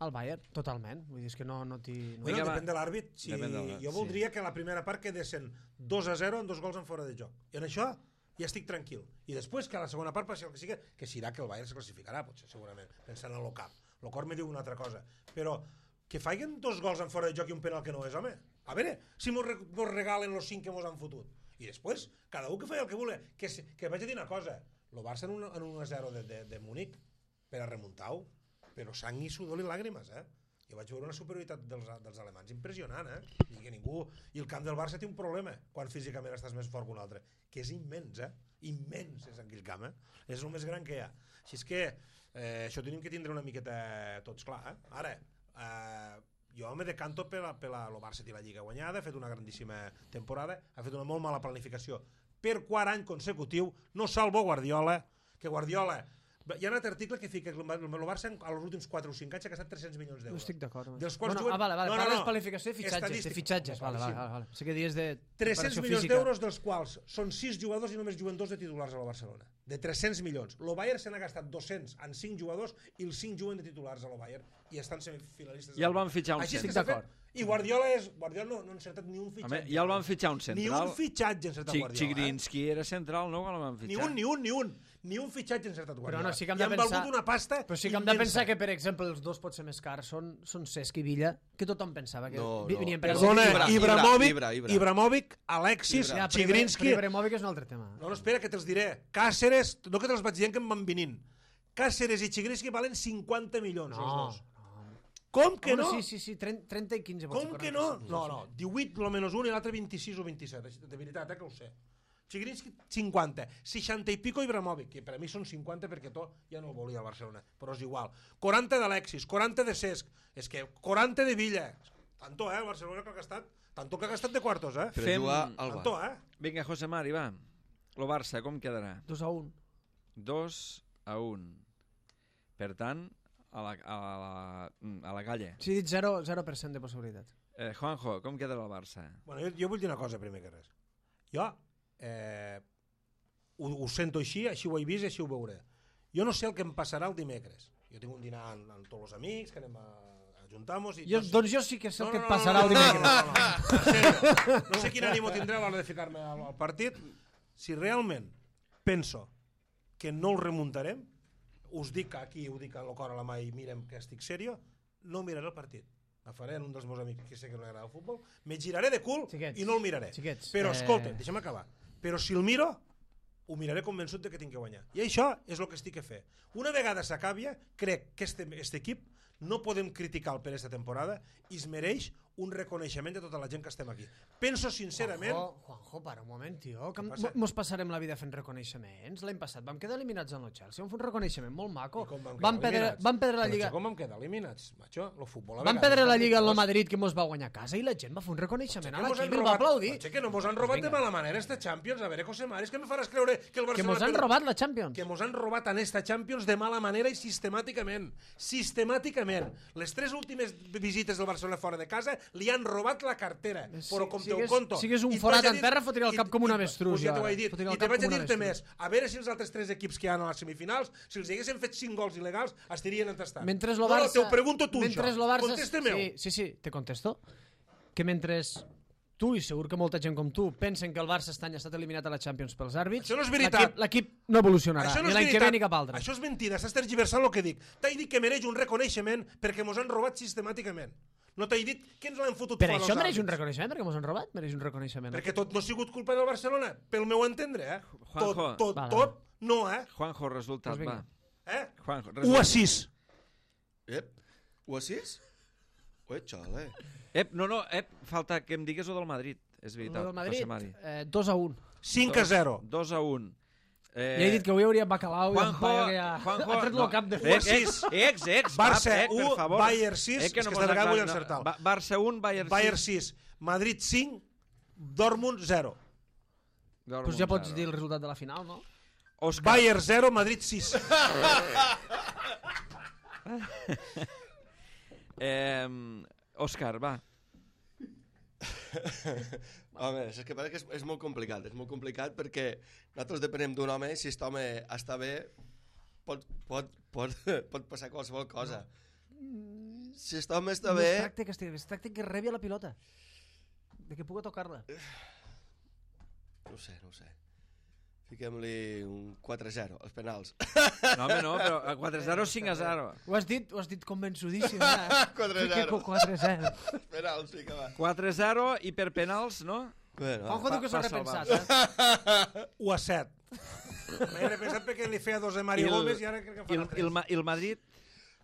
al Bayern, totalment. Vull dir, és que no, no t'hi... No... Bueno, Vinga, va. depèn de l'àrbit. Si... Depèn de l'àrbit, Jo sí. voldria que la primera part quedessin dos a zero amb dos gols en fora de joc. I en això ja estic tranquil. I després que a la segona part passi el que sigui, que serà que el Bayern se classificarà, potser, segurament, pensant en el cap. El cor me diu una altra cosa. Però que faiguen dos gols en fora de joc i un penal que no és, home. A veure, si mos, re mos regalen los cinc que mos han fotut. I després, cada un que feia el que volia. Que, que vaig a dir una cosa. El Barça en un, en un a zero de, de, de Múnich per a remuntar-ho, però sang i sudor i làgrimes, eh? Jo vaig veure una superioritat dels, dels alemans impressionant, eh? I que ningú... I el camp del Barça té un problema quan físicament estàs més fort que un altre, que és immens, eh? Immens és aquell camp, eh? És el més gran que hi ha. Així és que eh, això tenim que tindre una miqueta tots clar, eh? Ara, eh, jo me decanto per la, per la, el Barça té la Lliga guanyada, ha fet una grandíssima temporada, ha fet una molt mala planificació. Per quart any consecutiu no salvo Guardiola, que Guardiola... Hi ha un altre article que fica que el Barça als últims quatre o cinc anys ha gastat tres-cents milions No d'euros. estic d'acord. Dels quals bueno, juguen... ah, vale, vale. No, no, Parles no. qualificació de fitxatges. De Estadístic. fitxatges, vale, vale, Claríssim. vale. Sé que dies de tres-cents preparació milions física. d'euros, dels quals són sis jugadors i només juguen dos de titulars a la Barcelona. De tres-cents milions. El Bayern se n'ha gastat dos-cents en cinc jugadors i els cinc juguen de titulars a la Bayern i estan semifinalistes. Ja el van fitxar un Així és que centre. s'ha Estic fet. I Guardiola és... Guardiola no, no ha encertat ni un Home, fitxatge. ja el van fitxar un Ni central. un fitxatge ha encertat Chi- Guardiola. Chigrinsky era central, no? Quan el van Eh? Ni fitxar. un, ni un, ni un. Ni un fitxatge ha encertat Però Guardiola. no, sí que hem I de han pensar... valgut una pasta Però sí que hem de immensa. pensar que, per exemple, els dos potser més cars són, són Cesc i Villa, que tothom pensava que No, vi- no. venien per Perdona, Ibra, Ibrahimovic, Ibra, Ibra. Ibrahimovic, Alexis, Ja, però Chigrinsky... Ibra- Ibrahimovic és un altre tema. No, no, espera, que te'ls diré. Cáceres, no que te'ls vaig dient que em van venint. Cáceres i Chigrinsky valen cinquanta milions, No, els dos. no. Com que Home, no? Sí, sí, sí, trenta, trenta i quinze. pot ser, Com que quaranta, no? sí, No, sí. no, divuit lo menys un i l'altre vint-i-sis o vint-i-set. De veritat, eh, que ho sé. Chigrinsky, cinquanta. seixanta i pico Ibrahimovic, que per a mi són cinquanta perquè to ja no el volia al Barcelona, però és igual. quaranta d'Alexis, quaranta de Cesc, és que quaranta de Villa. Tanto, eh, el Barcelona que ha gastat, tanto que ha gastat de quartos, eh? Per Fem- jugar al Tanto, Bar. eh? Vinga, José Mari, va. Lo Barça, com quedarà? Dos a un. dos a un. Per tant, a la, a la, a la calle. Sí, he dit zero per cent de possibilitat. Eh, Juanjo, com quedarà el Barça? Bueno, jo, jo vull dir una cosa primer que res. Jo eh, ho, ho sento així, així ho he vist i així ho veuré. Jo no sé el que em passarà el dimecres. Jo tinc un dinar amb, amb tots els amics, que anem a, a juntar-nos... I Jo, no sé- doncs jo sí que sé el No, que no, et no, passarà no, el no, dimecres. No, no, no, no, en sèrio. No sé quin ànimo tindré a l'hora de ficar-me al, al partit. Si realment penso que no el remuntarem, us dic aquí, ho dic a lo cor a la mà i mirem que estic serio, no miraré el partit. Me faré en un dels meus amics que sé que no agrada el futbol, me giraré de cul Xiquets, i no el miraré. xiquets, Però eh, escolta, deixa'm acabar. Però si el miro, ho miraré convençut de que tinc que guanyar. I això és el que estic a fer. Una vegada s'acabia, crec que este, este equip no podem criticar per aquesta temporada i es mereix un reconeixement de tota la gent que estem aquí. Penso sincerament... Juanjo, Juanjo, para un moment, tio. Que passa? mos passarem la vida fent reconeixements. L'any passat vam quedar eliminats en el Chelsea. Vam fer un reconeixement molt maco. I com vam Vam quedar perdre, eliminats? vam perdre la Però Lliga... això com vam quedar eliminats, macho? Lo futbol a Vam vegades perdre la fa Lliga en el coses. Madrid, que mos va guanyar a casa, i la gent va fer un reconeixement a Que mos han l'equip i el va robat, aplaudir. macho, que no mos han robat de mala manera esta Champions. A veure, José Maris, que me faràs creure que el Que Barcelona... mos han per- robat la Champions. que mos han robat en esta Champions de mala manera i sistemàticament. Sistemàticament. Les tres últimes visites del Barcelona fora de casa li han robat la cartera. Si- però com si te ho hagués- conto. si hagués un I forat t'haig de en dir- terra, fotria el i- cap com un i- avestruz, pues ja jo t'ho ara. he dit. Fotria el I te cap vaig a com un dir-te avestruz. més. A veure si els altres tres equips que hi ha a les semifinals, si els haguessin fet cinc gols il·legals, estarien entestant. Mentre el no, Barça... no, t'ho pregunto tu, mentre això. lo Barça... Contesta-me-ho. Sí, sí, sí, te contesto. Que mentre tu, i segur que molta gent com tu, pensen que el Barça aquest any ha estat eliminat a la Champions pels àrbits, Això no és veritat. l'equip- l'equip no evolucionarà, Això no ni és l'any que veritat. ve ni cap altre. Això és mentida, estàs tergiversant el que dic. T'he dit que mereix un reconeixement perquè mos han robat sistemàticament. No t'he dit que ens l'han fotut Per fora això els mereix un àrbits. reconeixement, perquè mos han robat, mereix un reconeixement. Perquè tot no ha sigut culpa del Barcelona, pel meu entendre, eh? Juanjo. Tot, tot, Vale. tot, no, eh? Juanjo, resultat, Pues va. vinga. eh? Juanjo, u a resultat. sis. Ep, ho sis? Ui, xale. Ep, no, no, ep, falta que em digues o del Madrid. És El veritat, del Madrid, José Mari. eh, dos a un. cinc a zero. dos a un. Eh, Ja he dit que avui hauria Bacalao i en Juanjo, Paio que ja... Juanjo, ha tret no. el cap de u a Ex, fet. sis. ex, ex, Barça va, eh, per u, favor. Bayern sis, Eh, que és no que mos esta vegada aclarim, vull no. encertar. Ba- Barça un, Bayern sis. Bayern sis, Madrid cinc, Dortmund zero. Dortmund Pues ja pots zero. dir el resultat de la final, no? Òscar, Bayern zero, Madrid sis. eh, Òscar, va. Home, és que passa que és, és molt complicat, és molt complicat perquè nosaltres depenem d'un home i si aquest home està bé pot, pot, pot, pot passar qualsevol cosa. Si aquest home està No bé... es tracta que estigui, es tracta que rebi la pilota. De que pugui tocar-la. No ho sé, no ho sé. Fiquem-li un quatre a zero, els penals. No, home, no, però a quatre a zero o cinc a zero. Ho has dit, ho has dit convençudíssim. Eh? quatre a Fica zero. quatre a zero. Els penals, sí que va. quatre a zero i per penals, no? Bueno, Juanjo diu que s'ho ha passa el repensat, eh? u a set. M'he repensat perquè li feia dos a I Mario el- Gómez i ara crec que I el, farà i el, tres. Ma- i el Madrid?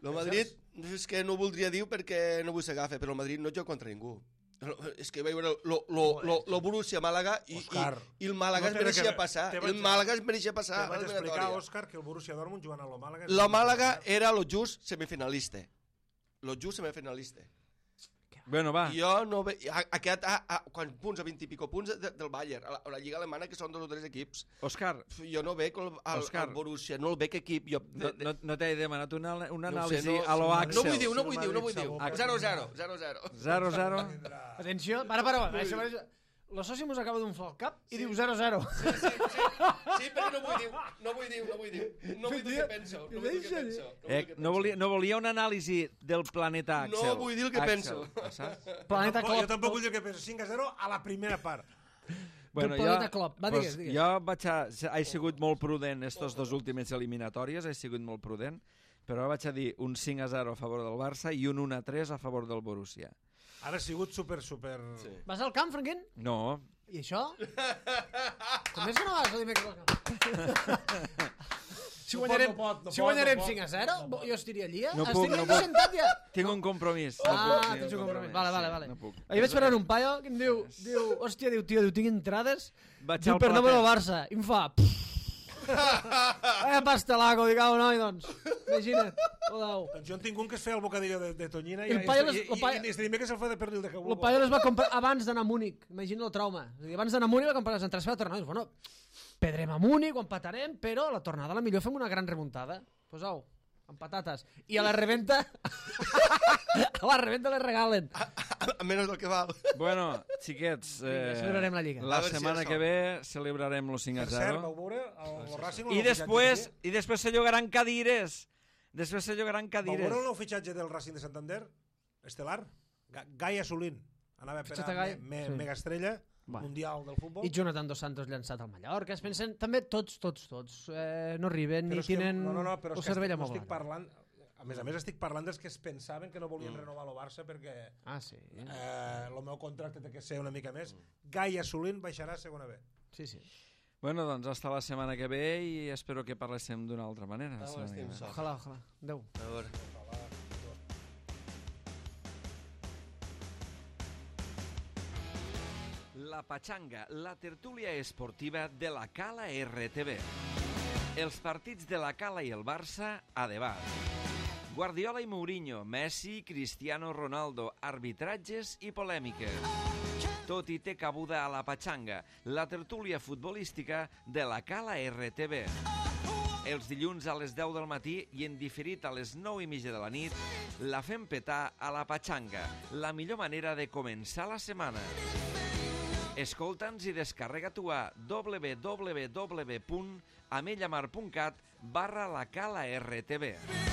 el Madrid, és que no ho voldria dir perquè no vull s'agafa, però el Madrid no juga contra ningú. És que vaig veure lo, lo, lo, lo Borussia Màlaga i, i, Òscar, i el Màlaga no es té res mereixia que- passar. te vaig- El Màlaga es mereixia passar Te a vaig explicar, l'eliminatòria. Òscar, que el Borussia Dortmund jugant a lo Màlaga... La Màlaga era lo just semifinalista. Lo just semifinalista. Bueno, va. I jo no ve... Ha, ha quedat a, a, quants punts, a vint i pico punts de, del Bayern, a la, a la Lliga Alemana, que són dos o tres equips. Òscar, Jo no veig el, el, Òscar. el Borussia, no el veig equip. Jo, no, de, de, no, no t'he demanat una, una no ho sé, anàlisi no- a lo no Axel. no vull dir, no Si vull el dir, no vull Madrid dir. s'aboca- zero a zero, zero a zero. zero zero. Atenció, para, para, para. Això, això. La sòcia mos acaba d'un flar al cap i diu zero a zero. Sí, sí, sí, sí, perquè no vull dir, no vull dir, no vull dir. No vull dir el que penso, no vull dir el que penso. No vull dir Eh, el que no, volia, no volia una anàlisi del planeta No Axel. vull dir el que Axel, penso. saps? Planeta Tampoc, jo Klopp. tampoc vull dir que penso. cinc a zero a la primera part. Bueno, planeta Klopp. Va, digues, digues. Jo vaig a, he sigut molt prudent estos dos últimes eliminatòries, he sigut molt prudent, però vaig a dir un cinc a zero a favor del Barça i un un a tres a favor del Borussia. Ara ha sigut super, super... Sí. Vas al camp, Franquín? No, I això? Com és que no vas el dimecres al camp? Si No pot, guanyarem, no pot, no si pot, guanyarem no pot, cinc a zero, no pot. jo estaria allí, eh? No Estic puc, no aquí puc. sentat ja. tinc un compromís. Ah, no puc, tinc tens un compromís. Vale, vale, vale. No puc. Ahir vaig parlar un paio que em diu, diu, hòstia, diu, tio, diu, tinc entrades, Vaig diu, al per no veure el plater. Barça. I em fa... Eh, pastelaco, dic, au, noi, doncs. Imagina't, odau. Doncs jo en tinc un que es feia el bocadillo de, de tonyina i, El i, paio i, les- i, el paio- i, i este dimecres se'l fa de pernil de El cabugo. paio les va comprar abans d'anar a Múnich. Imagina el trauma. És a dir, abans d'anar a Múnich va comprar les entrades per la tornada. I dius, bueno, perdrem a Múnich, ho empatarem, però a la tornada a la millor fem una gran remuntada. Pues au, amb patates. I a la reventa... a la reventa les regalen. A menys del que val. Bueno, xiquets, Vinga, eh, celebrarem la Lliga. la A veure si setmana hi ha que sort. ve celebrarem los cinc a Per cert, vau zero. veure el, el Racing... el I nou després, fitxatge i després se llogaran cadires. Després se llogaran que- Vau cadires. veure el nou fitxatge del Racing de Santander? Estelar? Ga- Gai Assolín. Anava per Fitxat a a Gai? me, me, Sí. mega estrella Va. mundial del futbol. I Jonathan Dos Santos llançat al Mallorca. Es pensen, també tots, tots, tots, eh, no arriben Però ni és que- tenen no, no, no, però el és que cervell estic, no estic amoblat. parlant... A més a més estic parlant dels que es pensaven que no volien renovar el Barça perquè Ah, sí. eh, el meu contracte té que ser una mica més. Gai Assolín baixarà a segona B. Sí, sí. Bueno, doncs hasta la setmana que ve i espero que parléssim d'una altra manera. la Ah, setmana que estem ve. sols. Ojalà, ojalà. Adéu. A veure. La Patxanga, la tertúlia esportiva de la Cala R T V. Els partits de la Cala i el Barça a debat. Guardiola i Mourinho, Messi, Cristiano Ronaldo, arbitratges i polèmiques. Tot hi té cabuda a La Patxanga, la tertúlia futbolística de la Cala R T V. Els dilluns a les deu del matí i en diferit a les nou i mitja de la nit, la fem petar a La Patxanga, la millor manera de començar la setmana. Escolta'ns i descarrega-t'ho a w w w punt amellamar punt cat barra la Cala R T V.